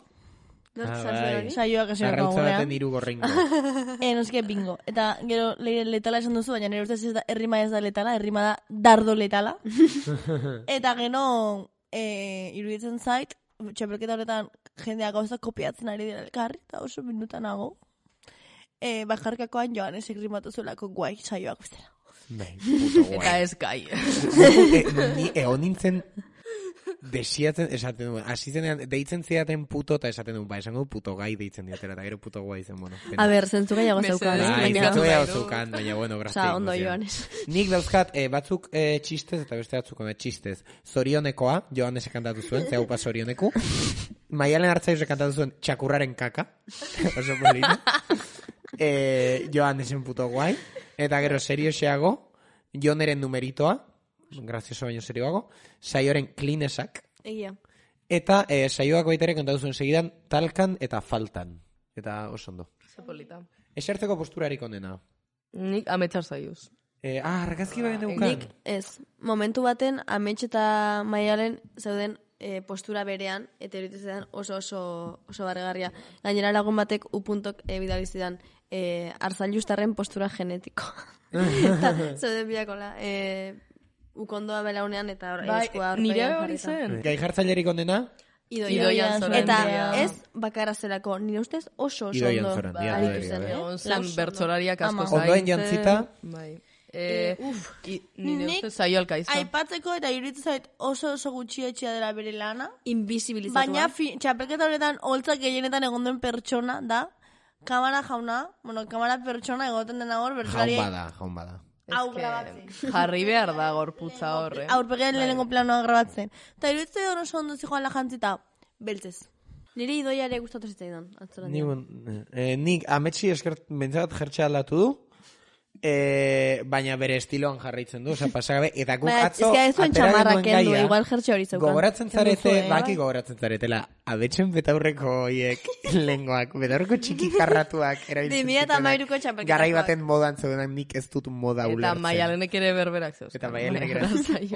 saioak esan Arrautza baten hiru gorringo. Noske bingo. Eta gero letala esan duzu, baina nire ustez errima ez da letala, errima da dardo letala. Eta gero iruditzen zait, txapelketa horretan jendeak gauza kopiatzen ari dira elkarri, eta oso minutan nago. Bakarkakoan Joanes egrimatu zuelako guai saioak bestela. Eta ez gai. Ni egon nintzen desiatzen, esaten duen, hasi zenean, deitzen zidaten puto, eta esaten duen, esango puto gai deitzen diatela, eta gero puto guai zen, bueno. A ber, zentzu gehiago zeukan. Zentzu gehiago zeukan, baina, bueno, graztik. Osa, ondo Joanes. Nik dauzkat, batzuk txistez, eta beste batzuk txistez. Zorionekoa, Joanesek kantatu zuen, zeupa zorioneku. Maialen Artzaizek kantatu zuen, txakurraren kaka. Oso polina. Joanesen puto guai. Eta gero serioxeago, Joneren numeritoa, grazioso baino serioago, saioaren klinesak. Egia. Eta saioak baitare kantatu zuen segidan talkan eta faltan. Eta oso ondo. Zepolita. Esertzeko posturarik onena. Nik ametxar zaiuz. Argazki bagen neukan. Nik ez. Momentu baten ametx eta Maialen zeuden postura berean, eta eruditzen oso barregarria. Gainera lagun batek upuntok bidalizidan Arzailustarren postura genetiko. Zeuden biakola. Ukondoa belaunean eta eskua horpean. Nire hori zen. Gai jartzailerik onena? Idoian Zoran. Eta ez bakarra zelako, nire ustez oso ondo aritu zen. Zen bertsolariak asko zain. Ondoen jantzita. Bai. Nire ustez saio alkaiza. Aipatzeko eta iruditzen zait oso gutxietxea dela bere lana. Invisibilizatua. Baina txapelketa horretan holtzak gehienetan egon duen pertsona da, kamara jauna, kamara pertsona egoten dena hor, bertsolari. Jaun bada. Hau grabatzen. Jarri behar da gorputza horre. Aurpegean lehenengo planoa grabatzen. Eta iruditzen oso ondo zijoan la jantzita, beltzez. Nire idoiare gustatu zitzaidan. Nik ametsi eskert bentzat jertxe aldatu du, baina bere estiloan jarraitzen du, pasagabe, eta guk atzo atera genuen igual jertxe hori zeukan. Gogoratzen zarete, baki gogoratzen zaretela, abetzen betaurreko hiek lengoak, betaurreko txiki karratuak erabiltzen zituenak, garai baten modan zeudenak nik ez dut moda ulertzen. Eta Maialenek ere berberak zeuz. Eta Maialenek ere,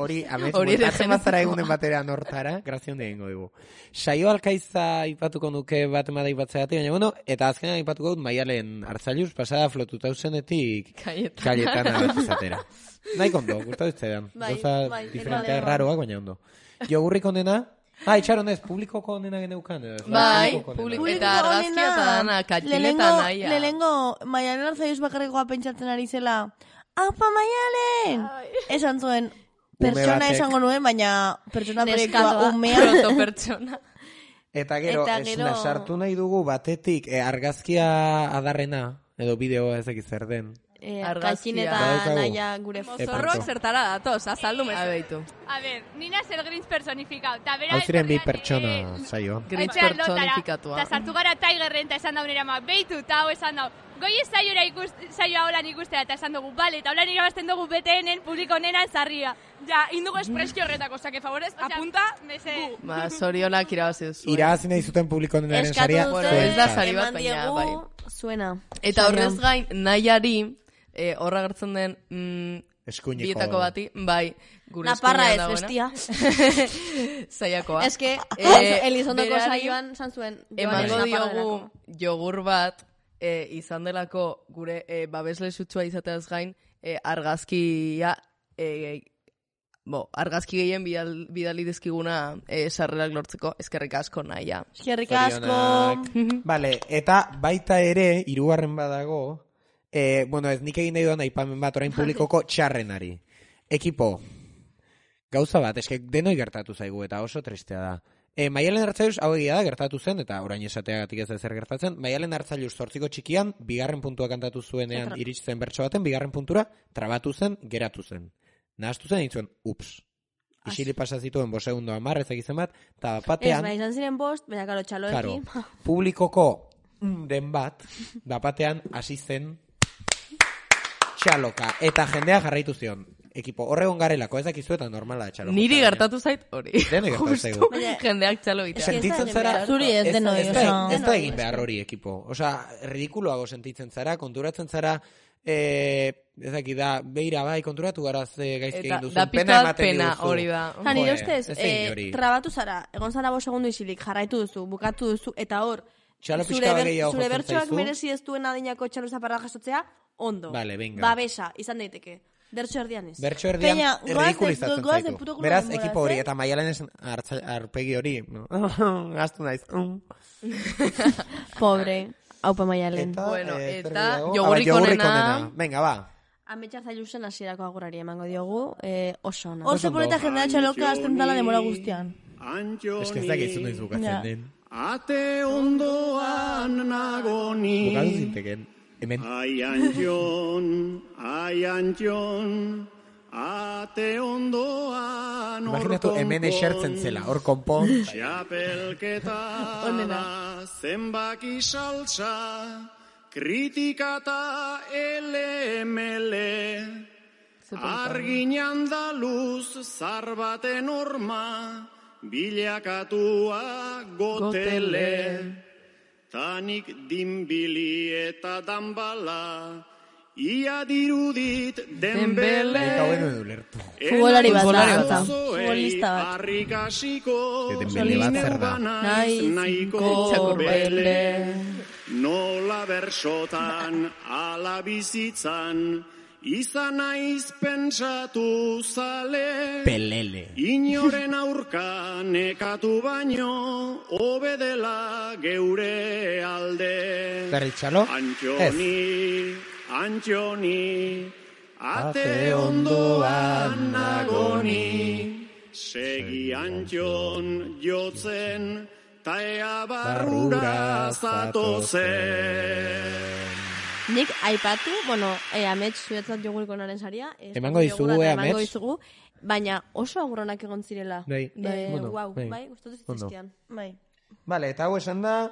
hori atzen bazara egunen batera nortara, grazion de gengo dugu. Saio alkaiza ipatuko nuke bat emada ipatzeatik, baina bueno, eta azkenan ipatuko dut Maialen Artzailuz, pasada flotuta usenetik Cayetana bat izatera. Nahi kondo, gustatu iztean. Gauza diferentea raroak, baina ondo. Jogurrik onena, itxaronez, publikoko onena geneukan. Bai, eta argazkia eta dana, katxileta naia. Lehenengo, Maialen Artzailuz bakarrekoa pentsatzen ari zela, Aupa Maialen! Esan zuen, pertsona esango nuen, baina pertsona proiektua umea. Protopertsona. Eta gero, sartu nahi dugu batetik argazkia adarrena, edo bideoa ezek zer den. Argazkineta naia gure zorroak zertara datoz, azaldu mezabeitu. A ver, nina zer Grinch personifikau. Hau ziren bi pertsona, saio. Grinch personifikatua. Eta sartu gara Tigerren eta esan daunera ma, beitu, eta hau esan dau. Goi ez saioa holan ikustea eta esan dugu, bale, eta holan irabazten dugu BTN-en publiko nena zarria. Ja, indugu espreski horretako, osea, que favorez, apunta, mese. Ba, zorionak irabazi duzu. Irabazi nahi zuten publiko nenaren saria. Bueno, ez da sari bat, baina, bai. Zuena. Eta horrez gain, nahiari, horra gertzen den bietako bati, bai, gure Naparra ez, bestia. Zaiakoa. Ez que, Elizondoko saioan zantzuen. Emango diogu jogur bat, izan delako gure babesle sutsua izateaz gain, argazkia, argazki gehien bidali dizkiguna sarrerak lortzeko, eskerrik asko naia. Eskerrik asko. Vale, eta baita ere, hirugarren badago, bueno, ez nik egin nahi doan aipamen bat orain publikoko txarrenari. Ekipo, Gauza bat, eske denoi gertatu zaigu eta oso tristea da. Maialen Artzailuz hau egia da gertatu zen, eta orain esateagatik ez da zer gertatzen, Maialen Artzailuz 8 txikian, 2. puntua kantatu zuenean iritsi bertso baten, 2. puntura, trabatu zen, geratu zen. Nahaztu zen, ditzuen, ups. Isili pasa zituen 5 segundo 10 ezakitzen bat, eta batean... Ez, izan ziren 5, baina karo txaloekin. Publikoko den bat, batean hasi zen txaloka, eta jendea jarraitu zion. Ekipo, horregon garelako, ez dakizu eta normala txalo. Niri gertatu zait hori. Dene gertatu zaigu. Jendeak txalo egitea. Sentitzen zara... Zuri ez denoi. Ez da egin behar hori ekipo. Osa, ridikuloago sentitzen zara, konturatzen zara, ez daki da, beira bai, konturatu gara ze gaizki egin duzun. Da pena hori da. Nire ustez, trabatu zara, egon zara 5 segundu isilik, jarraitu duzu, bukatu duzu, eta hor, zure bertsoak merezi ez duen adinako txalo zaparra jasotzea, ondo. Vale, venga. Babesa, izan daiteke. Bertso erdian ez. Bertso erdian ridikulizatzen zaitu. Beraz, ekipo hori, eta Maialen ez arpegi hori. Gaztu naiz. Pobre, haupa Maialen. Bueno, eta jogurrik onena. Venga, ba. Ametsa Zailuzen hasierako agurari emango diogu, oso ona. Oso poleta jendea txaloka azten dala demora guztian. Ez que ez dakizu noiz bukatzen den. Ate ondoan nagoni. Bukatu zinteken. Aian jon, ate ondoan imaginatu hemen esertzen zela, hor konpon. Txapelketa da, zenbaki saltza, kritikata ele-mele, arginan da luz zarbaten orma, bilakatua gotele. Tanik dinbili eta danbala, ia dirudit denbele. Futbolari bat da. Futbolista bat. Arrikasiko, nahiko bele. Nola bersotan, ala bizitzan, izan naiz pentsatu zale. Pelele. Inoren aurka nekatu baino, obedela geure alde. Berritxalo? Antxoni, ate ondoan nagoni. Segi antxon jotzen, ta ea barrura zatozen. Nik aipatu, amets zuetzat joguriko naren saria. Emango dizugu, amets. Baina oso agurronak egon zirela. Bai, gustatu zituzkian. Bai. Vale, eta hau esan da...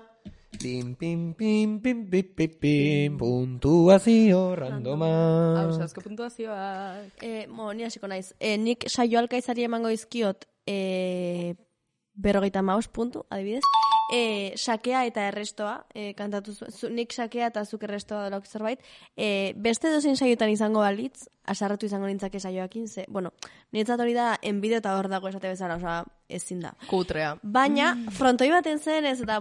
Pim, pim, pim, pim, pim, pim, pim, puntuazio randoma. Hau, asko puntuazioak. Ni hasiko naiz. Nik saio alkaizari emango izkiot 55 puntu, adibidez. Sakea eta errestoa, kantatu nik sakea eta zuk errestoa delauk zerbait. Beste dozein saiotan izango balitz, asarratu izango nintzake saioakin, niretzat hori da enbide eta hor dago esate bezala, ezin da. Kutrea. Baina, frontoi baten zen ez da,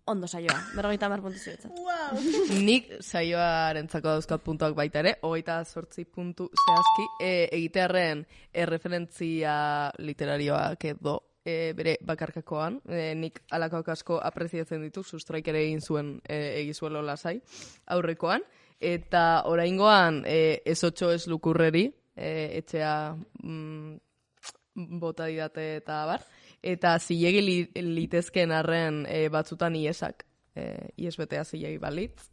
ondo saioa, 50 puntu zuetzat. Wow. Nik saioarentzako dauzkat puntuak baita ere, 28 puntu zehazki, egitearren erreferentzia literarioak edo bere bakarkakoan, nik alakoak asko apreziatzen ditu, sustraik ere egin zuen egizuelo lasai aurrekoan, eta oraingoan ez 8 ez lukurreri, etxea bota didate eta bar, eta zilegi litezken arren batzutan iesak, iesbetea zilegi balitz,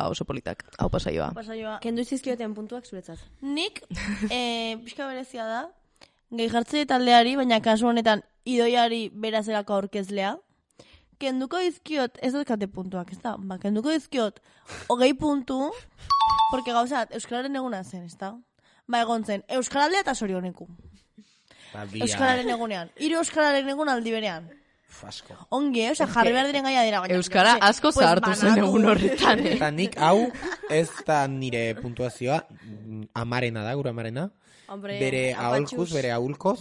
oso politak, hau pasaioa. Kendu izizkioten puntuak zuretzat. Nik, pixka berezia da, gehi jartze taldeari, baina kasu honetan idoiari berazerako aurkezlea, kenduko dizkiot, ez dut puntuak, ez da? Kenduko dizkiot, 20 puntu, porque gauzat, Euskararen eguna zen, ez da? Egon zen, Euskaraldea eta Sorioneku. Euskararen egunean. 3 Euskararen egun aldi berean. Asko. Ongi, jarri behar diren gaia dira. Euskara asko zahartu zen egun horretan. Eta nik hau, ez da nire puntuazioa, amarena da, gure amarena. Bere aholkuz, bere ahulkoz.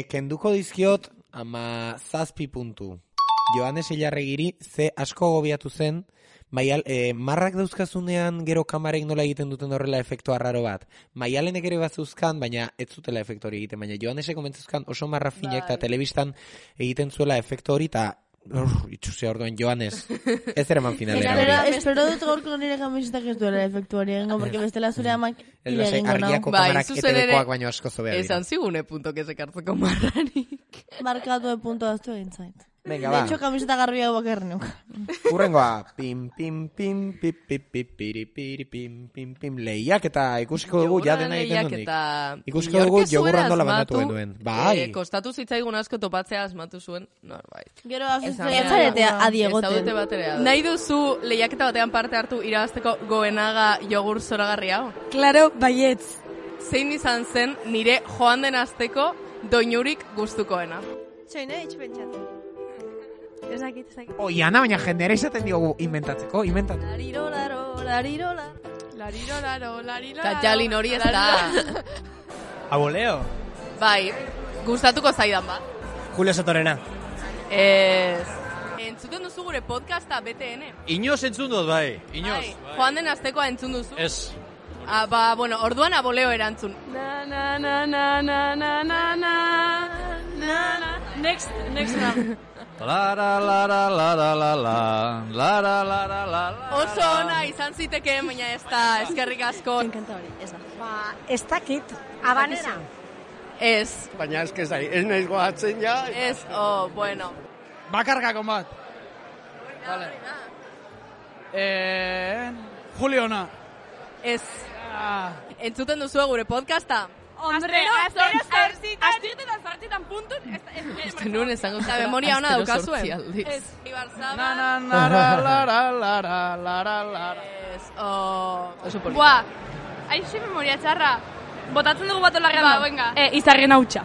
Kenduko dizkiot, 7 puntu. Joanes Ilarregiri, ze asko gobiatu zen, marrak dauzkazunean gero kamarek nola egiten duten horrela efektu arraro bat. Maialenek ere bazuzkan, baina ez zutela efektu hori egiten, baina Joanesek omentzuzkan oso marra finak eta telebistan egiten zuela efektu hori, eta Itxuzia orduan Joanes. Ez ere man finalera hori. Espero dut gaurko nire kamisetak ez duela efektu hori egingo, porque bestela zure amak ire egingo nao. Argiako kamarak etedekoak baino asko zobea dira. Esan zigune puntok ez ekartzeko marranik. Markatu de punto aztu egin zait. Venga, va. De hecho, kamiseta garbi hau bakarri nuk. Urrengoa. Pim, pim, pim, pip, pip, pip, piri, piri, pim, pim, pim. Lehiak eta ikusiko dugu ja dena egiten dunik. Ikusiko dugu jogurrando labandatu genuen. Bai. Kostatu zitzaigun asko topatzea asmatu zuen norbait. Gero azuzaretea adiegoten. Nahi duzu lehiaketa batean parte hartu irabazteko Goenaga jogur zoragarri hau? Claro, baietz. Zein izan zen nire joan den asteko doinurik gustukoena? Txoine, itxpentsatzen. Ezakit. Ana, baina jendeara izaten diogu inventatzeko, inventatu. Larirolaro. Katjalin hori ez da. Aboleo. Bai, gustatuko zaidan bat. Julio Sotorena. Entzuten duzu gure podcasta BTN. Inoz entzun dut, bai. Bai. Joan den astekoa entzun duzu? Ez. Bueno, orduan aboleo erantzun. Next round. Oso ona izan zitekeen, baina ez da, eskerrik asko. Enkanta hori, ez da. Ez dakit, abanera. Ez. Baina ez nahiz goatzen ja. Ez, bueno. Bakargako bat. Vale. Juliona. Ez. Entzuten duzu gure podcasta? Hombre, aztirten azpartzitan puntun. Este nuen esango eta memoria ona daukazuen. Ez. Buah, aixe memoria txarra. Botatzen dugu bat olarrean da. Venga. Izarren hautsa.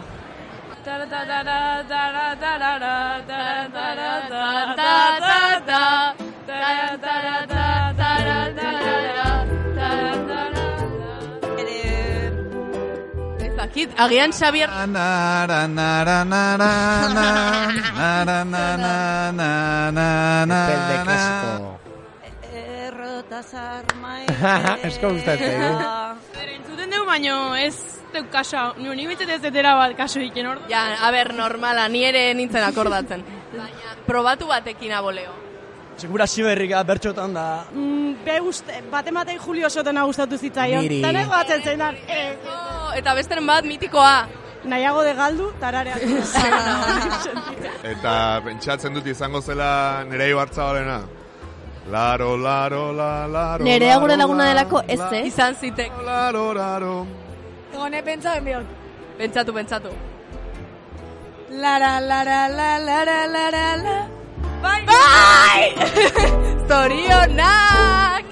Agian Xavier Esko gustatzen entzuten dugu, baino ez duk kaso. Ni bintzat ez detera bat kaso iken hor. Ja, normala, ni ere nintzen akordatzen. Baina, probatu batekin aboleo. Segura ziberrika bertxotan da. Batematei Julio Sotena gustatu zitzaion. Niri. Tanego batzen zeinan. Eta besteren bat mitikoa. Nahiago de galdu, tarareak. Eta pentsatzen dut izango zela Nerea Ibartzabalena. Laro. Nerea gure laguna delako ez, Izan zitek. Laro. Egone pentsatzen bihot. Pentsatu. Lara. Bai! Zorionak!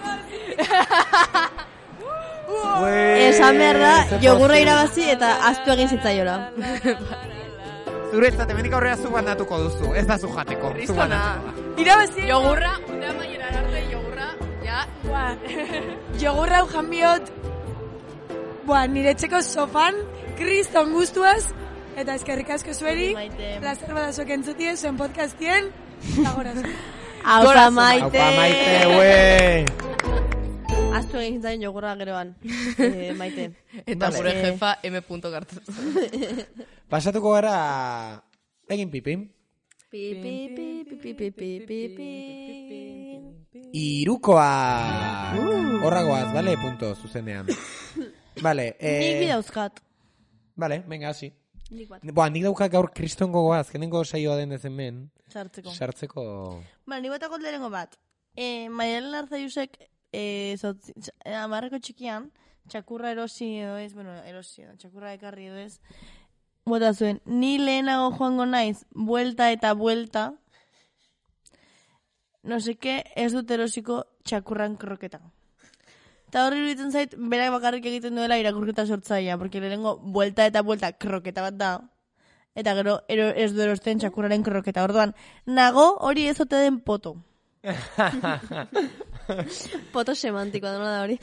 Esan behar da, jogurra irabazi eta aztu egin zitzaiola. Zuretzat, hemenik aurrera zu bandatuko duzu, ez da zu jateko. Kristona. Irabazi! Jogurra, untea maieran arte, jogurra, ja. Jogurra ujan bihot, nire txeko sofan, kriston guztuaz, eta eskerrik asko zueri, plazer badazok entzutie, zuen podcastien, Aupa maite, ue! Aztu egin zain jogurra geroan, maite. Eta gure jefa M. Gartu. Pasatuko gara egin pipim. Irukoa! Horragoaz, bale, punto, zuzenean. Bale, nik bidauzkat. Bale, venga, hasi. Nik daukak gaur kriston gogoa, azkenengo saioa den ez hemen. Sartzeko. Nik batako lehenengo bat. Maialen Arzaiusek, amarreko txikian, txakurra erosi edo ez, txakurra ekarri edo ez, bota zuen, ni lehenago joango naiz, buelta eta buelta, no seke, ez dut erosiko txakurran kroketa. Eta horri iruditzen zait, berak bakarrik egiten duela irakurketa sortzaia, porque lehenengo buelta eta buelta kroketa bat da, eta gero ez du erosten txakurraren kroketa. Orduan, nago hori ez ote den poto. Poto semantikoa dena da hori.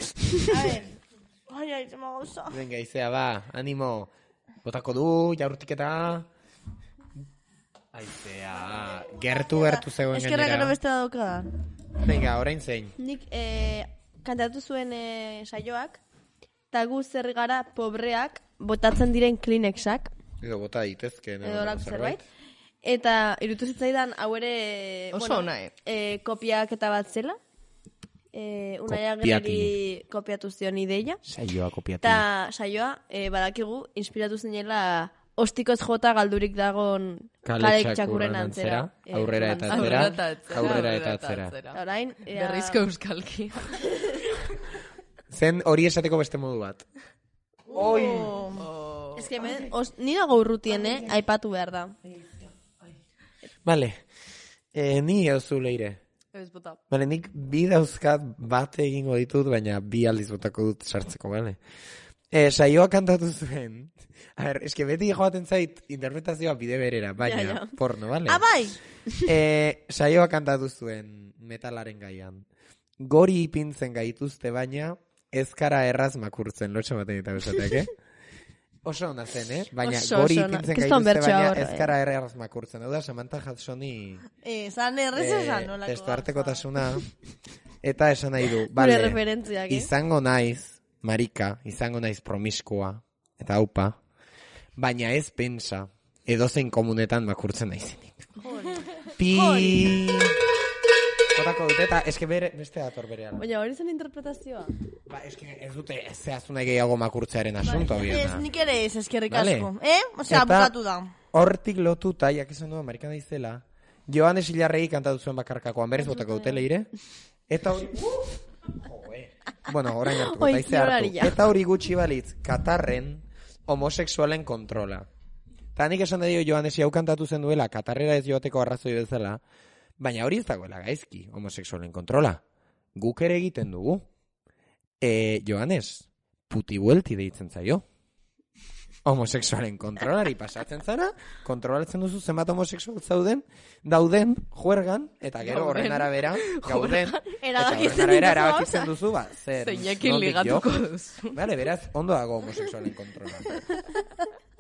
A ver, ai, zema gauza. Venga, izea, ba, animo. Botako du, jaurtiketa. Aizea, gertu zegoen gainera. Eskerra gero beste da doka. Venga, orain zein. Nik kantatu zuen saioak, eta gu zer gara pobreak botatzen diren Kleenexak. Edo bota ditezken. Edo lako zerbait. Eta irutu zitzaidan, hau ere... Oso ona, kopiak eta bat zela. Unai Agerreri kopiatu zion ideia. Saioa kopiatu. Eta saioa, badakigu, inspiratu zinela ostikoz jota galdurik dagon kalek txakurren antzera. Aurrera eta atzera. Aurrera eta atzera. Orain, berrizko euskalki. Zen hori esateko beste modu bat. Oi! Ez que ni dago urrutien, aipatu behar da. Vale. Ni euzu leire. Vale, nik bi dauzkat bat egingo ditut, baina bi aldiz botako dut sartzeko, vale? Saioa kantatu zuen. A ver, eske beti joaten zait interpretazioa bide berera, baina porno, vale? Bai! Saioa kantatu zuen metalaren gaian. Gori ipintzen gaituzte baina, ezkara erraz makurtzen, lotxe baten eta besateak, Oso ona zen, baina gori ipintzen gaituzte baina ezkara erraz makurtzen. Hau da, Samantha Hudsoni... Zan errez esan, nolako. Testuartekotasuna. Eta esan nahi du, bale, izango naiz, marika, izango naiz promiskua, eta haupa, baina ez pensa, edozein komunetan makurtzen naizenik. Pi... Kotako dute, eta eske beste dator berean. Baina hori zen interpretazioa. Ba, eske ez dute zehaztu nahi gehiago makurtzearen asunto. Ez, nik ere ez eskerrik asko. Osea, bukatu da. Hortik lotuta, jakizan du, Amerikan daizela, Joanes Ilarregi kantatu zuen bakarkakoan, berez botako dute leire. Eta hori... Bueno, orain hartuko, taize hartu. Eta hori gutxi balitz, Katarren homosexualen kontrola. Eta nik esan da dio Joanes hau kantatu zen duela, Katarrera ez joateko arrazoi bezala, baina hori ez dagoela gaizki, homosexualen kontrola. Guk ere egiten dugu. Joanes, puti buelti deitzen zaio. Homosexualen kontrolari pasatzen zara, kontrolatzen duzu zenbat homosexual dauden, juergan, eta gero horren arabera, gauden, eta horren arabera erabakitzen duzu, zer. Zeinekin ligatuko duzu. Bale, beraz, ondo dago homosexualen kontrola.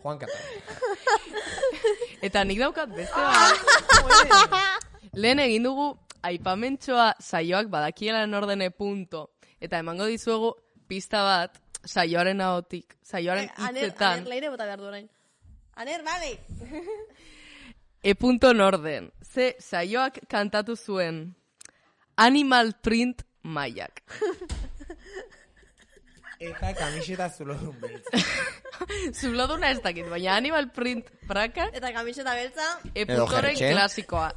Juan Katar. Eta nik daukat beste bat. Lehen egin dugu aipamentxoa saioak badakiela nordene punto. Eta emango dizuegu pista bat saioaren ahotik, saioaren hitzetan. Aner, leire bota behar du orain. Aner, bale! Punto norden. Ze saioak kantatu zuen Animal Print Maiak. Eta kamiseta zulodun beltza. Zuloduna ez dakit, baina Animal Print prakak. Eta kamiseta beltza. Puntoren klasikoa.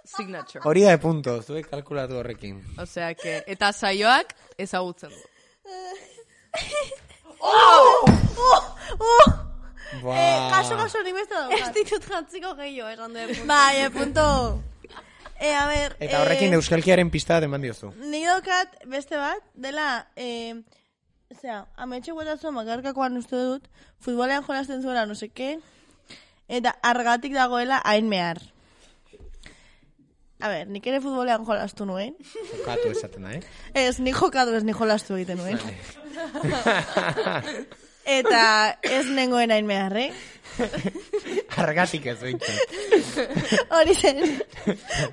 Signature. Hori da punto, zuek kalkulatu horrekin. Osea, que... Eta saioak ezagutzen du. Kaso, nik beste daukat. Ez ditut jantziko gehiago, esan du punto. Bai, punto. A ver... Eta horrekin euskalkiaren pista bat eman diozu. Nik daukat beste bat, dela... Osea, ametxe guetatzen makarkakoan uste dut, futbolean jolazten zuela, no seke, eta argatik dagoela hain mehar. A ver, nik ere futbolean jolastu nuen. Jokatu esaten da, Ez, nik jokatu ez, nik jolastu egiten nuen. Eta ez nengoen hain behar, Argatik ez behintzat. Hori zen.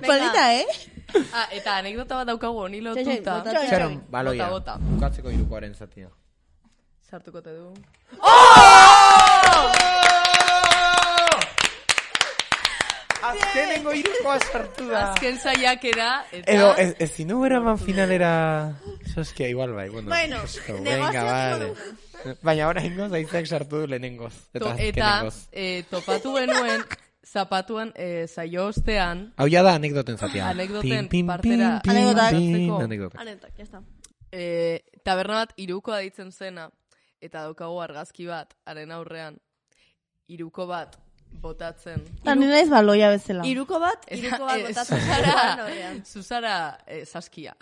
Polita, Eta anekdota bat daukagu honi lotuta. Txaron, baloia. Bukatzeko irukoaren zatia. Sartuko te du. Azkenengo irukoa sartu da. Azken saiakera. Edo, ez zinu beraman finalera... Soskia, igual bai. Bueno, venga, vale. Baina orain goz, aizak sartu du lehenengoz. Eta topatu genuen, zapatuan saio ostean... Hau ya da anekdoten zatia. Anekdoten partera... Anekdotak, ya está. Taberna bat irukoa deitzen zena, eta daukagu argazki bat, haren aurrean, iruko bat botatzen. Nire naiz baloia bezala. Iruko bat botatzen. Zuzara saskia.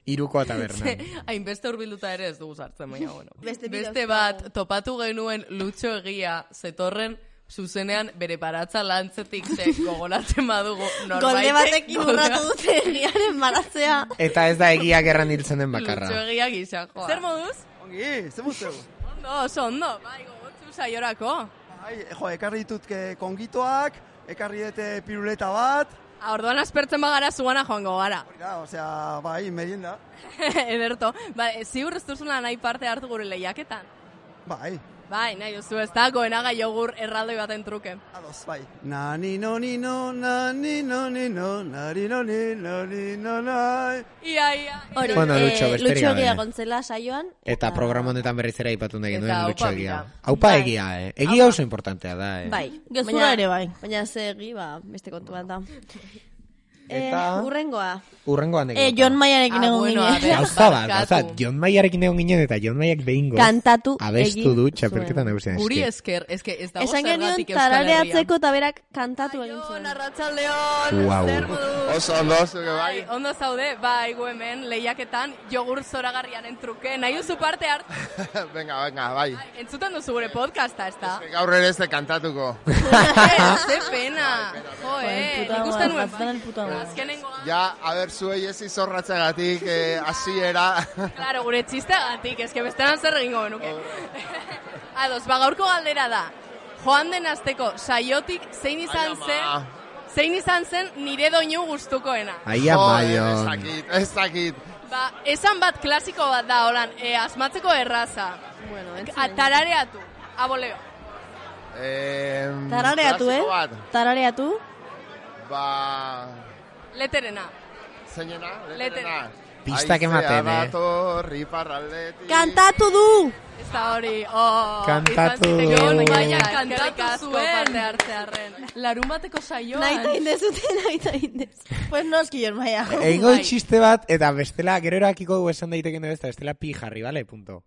Irukoa tabernan. Hainbeste urbilduta ere ez dugu sartzen, baina bueno. Beste bat, topatu genuen Lutxo Egia zetorren zuzenean bere baratza lantzetik gogoratzen badugu norbaitek. Golde batekin urratu dute egiaren baratzea. Eta ez da egiak erran hiltzen den bakarra. Lutxo Egia gisa, joa. Zer moduz? Ongi, zer muzteu? Ondo, bai, gogotzu saiorako. Ekarri ditut kongitoak, ekarri dute piruleta bat. Orduan aspertzen bagara zuana joango gara. Osea, bai, merienda. Ederto. Ziur ez duzuna nahi parte hartu gure lehiaketan. Bai. Bai, nahi duzu, ez da, goenaga jogur erraldoi baten truke. Ados, bai. Nani no ni no, nani no ni no, nari no ni no ni no nai. Ia. Hori, Bueno, Lutxo egia gontzela saioan. Eta programa honetan berriz ere aipatu nahi genuen Lutxo egia. Bai. Aupa egia, Egia oso importantea da, Bai. Gezurra ere bai. Baina ze egi, beste kontu bat da. Eta... Urrengoa anekdota. John Mayarekin egon ginen. Gauza, John Mayarekin egon ginen eta John Mayak behingo kantatu abestu du txapelketan nagusian. Guri esker, eske ez dago esan zergatik genion tarareatzeko eta berak kantatu egin zuen. Arratsaldeon, zer modu? Oso ondo, zuke bai. Ondo zaude, bai, gu hemen lehiaketan jogur zoragarriaren truke. Nahi duzu parte hartu? Venga, bai. Entzuten duzu gure podcasta, ez da? Gaur ere ez de kantatuko. Ze pena. Ikusten nuen. Ja, a ber, zuei ez izorratzegatik, hasiera. Claro, gure txisteagatik, eske bestean zer egingo genuke. Ados, gaurko galdera da. Joan den asteko saiotik zein izan zen nire doinu gustukoena. Aia maion. Ez dakit. Esan bat klasiko bat da, holan, asmatzeko erraza. Tarareatu, aboleo. Tarareatu, Tarareatu. Leterena. Zeinena? Leterena. Pistak ematen, Kantatu du! Ez da hori, Kantatu du. Kantatu zuen. Larun bateko saioan. Naita indez. Pues noski John Maya. Eingo txiste bat, eta bestela, gero erakiko du esan daiteken ez da, bestela pi jarri, bale, punto.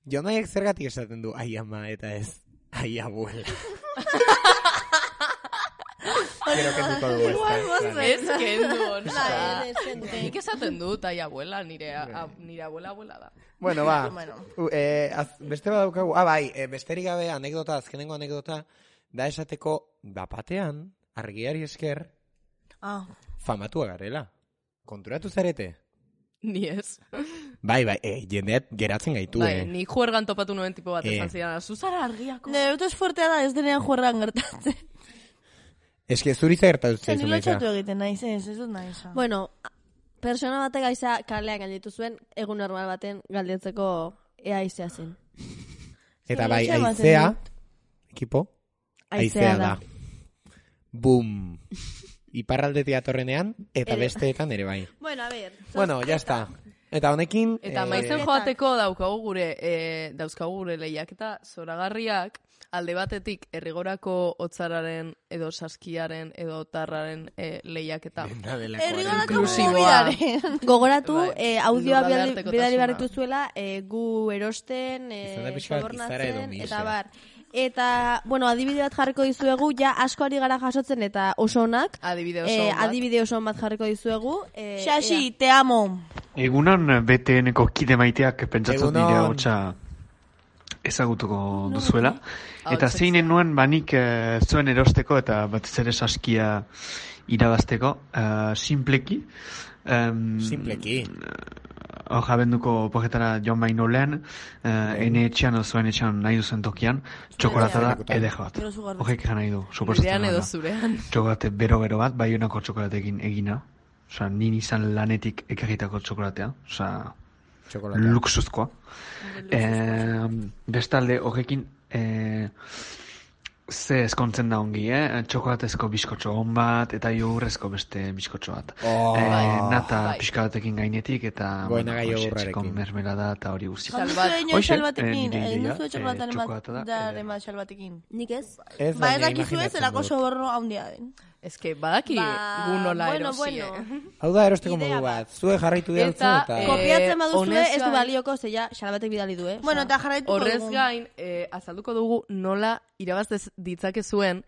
John Mayak zergatik esaten du, ai ama, eta ez, ai abuela. Quiero que duko dugu ez kendu. Nik esaten dut, ai abuela, nire abuela da. Bueno, ba, beste bat daukagu, bai, besterik gabe azkenengo anekdota, da esateko, bapatean, argiari esker, famatua garela. Konturatu zarete? Ni ez. Bai, jendeat geratzen gaitu, Ni juergan topatu nuen tipo bat esan zidan, zuzara argiako. Nire dut fuertea da, ez denean juergan gertatzen. Ez que zuritza gertatu zaizu, Nilo txatu egiten naiz, ez dut naiz. Bueno, persona batek aiza kalean galditu zuen, egun normal baten galdetzeko ea aizea zen. Eta bai, aizea, ekipo, aizea da. Bum. Iparraldetik atorrenean, eta besteetan ere bai. Bueno, a ver. Bueno, ya está. Eta honekin... Eta maizen joateko dauzkagu gure lehiaketa zoragarriak, alde batetik errigorako hotzararen edo saskiaren edo tarraren lehiaketa. Errigorako mobiaren. Gogoratu, audioa bidali barritu zuela, gu erosten, sobornatzen, eta bar. Eta, bueno, adibide bat jarriko dizuegu, ja asko ari gara jasotzen eta oso onak. Adibide oso bat jarriko dizuegu. Xaxi, te amo. Egunan BTN-eko kide maiteak pentsatzen dira hotza ezagutuko duzuela. Eta zeinen nuen banik zuen erosteko eta batez ere saskia irabazteko, simpleki. Simpleki. Jabenduko pogetara joan baino lehen, ene etxean o zuen etxean nahi duzen tokian, txokolata da edeko bat. Hogek egan nahi du, suposatzen da. Txokolate bero bat, bai honako txokolatekin egina. Osa, nini izan lanetik ekarritako txokolatea. Osa, luxuzkoa. Bestalde, hogekin, ze eskontzen da ongi, txokolatezko bizkotxo hon bat, eta jogurrezko beste bizkotxo bat. Nata pixka batekin gainetik, eta txekon mermelada eta hori guzti. Salbatekin, nuzu txokolataren bat salbatekin. Nik ez? Ba, ez dakizu ez, erako soborno handia den. Ez que badaki gu nola erosie. Hau da erosteko modu bat, zue jarraitu dialtzu eta... Kopiatzen baduzue ez du balioko, zeia salbatek bidali du, Bueno, eta jarraituko dugu. Horrez gain, azalduko dugu nola irabaztez ditzake zuen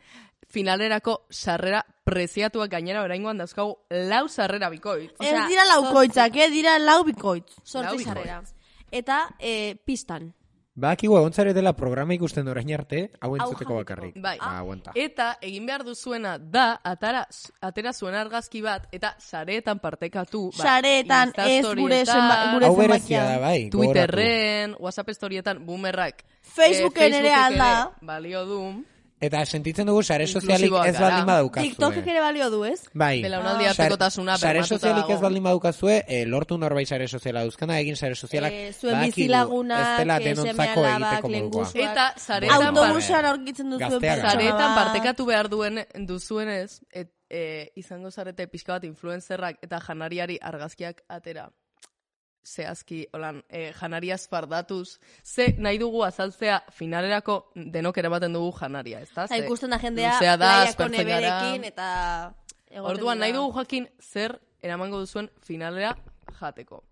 finalerako sarrera preziatuak gainera oraingoan dauzkagu 4 sarrera bikoitz. Ez dira laukoitzak, dira 4 bikoitz. 8 sarrera. Eta pistan. Bakigu egontzare dela programa ikusten orain arte, hau entzuteko bakarrik. Bai. Eta egin behar duzuena da, atera zuen argazki bat, eta sareetan partekatu. Sareetan ez gure zenbakian. Hau berezia da, bai. Twitterren, WhatsApp storietan, boomerrak. Facebooken ere alda. Balio du. Eta sentitzen dugu sare sozialik ez baldin badaukazue. TikTokek ere balio du, ez? Bai. Belaunaldi artekotasuna sare sozialik ez baldin badukazue, lortu norbait sare soziala dauzkana, egin sare sozialak zuen bizilagunak, ez dela denontzako egiteko modukoa. Eta saretan autobusan aurkitzen duzuen saretan partekatu behar duzuenez, izango zarete pixka bat influenzerrak eta janariari argazkiak atera. Zehazki, holan, janariaz fardatuz, ze nahi dugu azaltzea finalerako denok eramaten dugu janaria, ez da? Ikusten da jendea plaiako neberekin eta... Orduan, nahi dugu jakin zer eramango duzuen finalera jateko.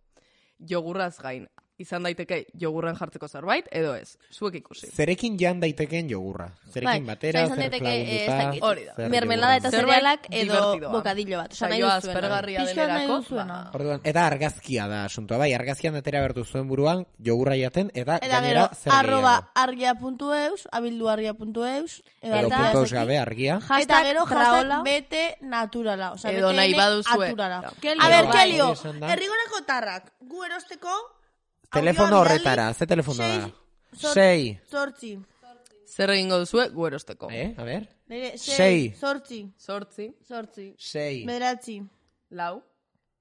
Jogurraz gain, izan daiteke jogurran jartzeko zerbait, edo ez, zuek ikusi. Zerekin jan daiteken jogurra? Zerekin batera, zer flagunduta... Mermelada eta zerealak edo bokadillo bat. Saioa aspergarria denerako. Eta argazkia da asuntoa, bai, argazkian atera bertu zuen buruan, jogurra jaten, eta gainera zer @argia.eus, abilduargia.eus, edo puntos gabe argia. Eta gero hashtag bete naturala. Edo nahi baduzue. A ber, Kelio, errigorako tarrak, gu erosteko... Telefono horretara, ze telefono da? 6. Zortzi. Zer egingo duzue guerosteko? A ber? 6. Zortzi. 6. Bederatzi. 4.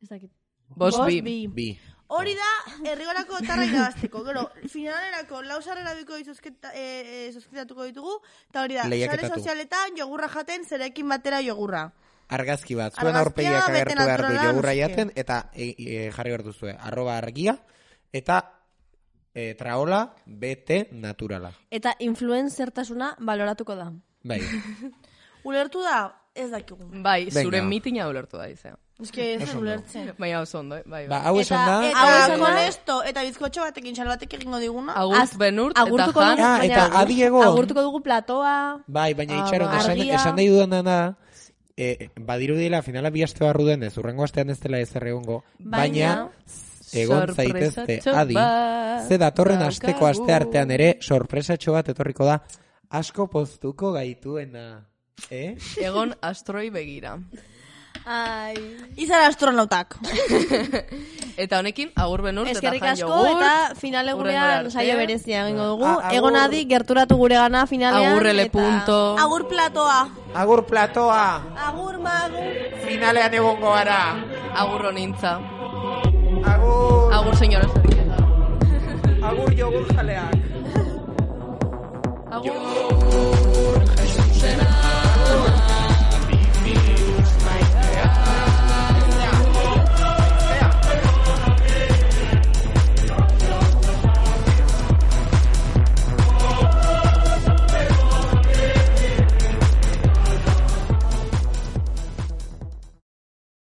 Ez dakit. 5. Bi. Hori da, errigorako tarra irabazteko. Gero, finalerako lausarrera biko zozketatuko ditugu, eta hori da, sare sozialetan jogurra jaten, zerekin batera jogurra. Argazki bat, zuen aurpegiak agertu behar du jogurra jaten, eta jarri behar duzue, @argia, eta traola, bete, naturala. Eta influenzertasuna baloratuko da. Bai. Ulertu da, ez dakigu. Bai, zure mitina ulertu da, izan. Ez que ez ulertzen. Bai, hau zondo, bai. Hau esan da. Eta konesto, eta bizkotxo batekin, salbatek egingo diguna. Agurt benurt, eta jan. Eta adiego. Agurtuko dugu platoa. Bai, baina itxaron, esan nahi dudan da, badirudila finala bi aste barru denez, urrengo astean ez dela ezer egongo, baina egon zaitezte adi, ze datorren asteko aste artean ere sorpresatxo bat etorriko da, asko poztuko gaituena. Egon astroi begira. Izan astronautak. Eta honekin, agur benurt, eta jan jogur. Eskerrik asko, eta finale gurean saio berezia egingo dugu. Egon adi, gerturatu gure gana finalean. Agurrele punto. Agur platoa. Agur platoa. Agur magu. Finalean egongo gara. Agur honintza. Agur. Agur señora Sarrieta. Agur jogur jaleak. Agur.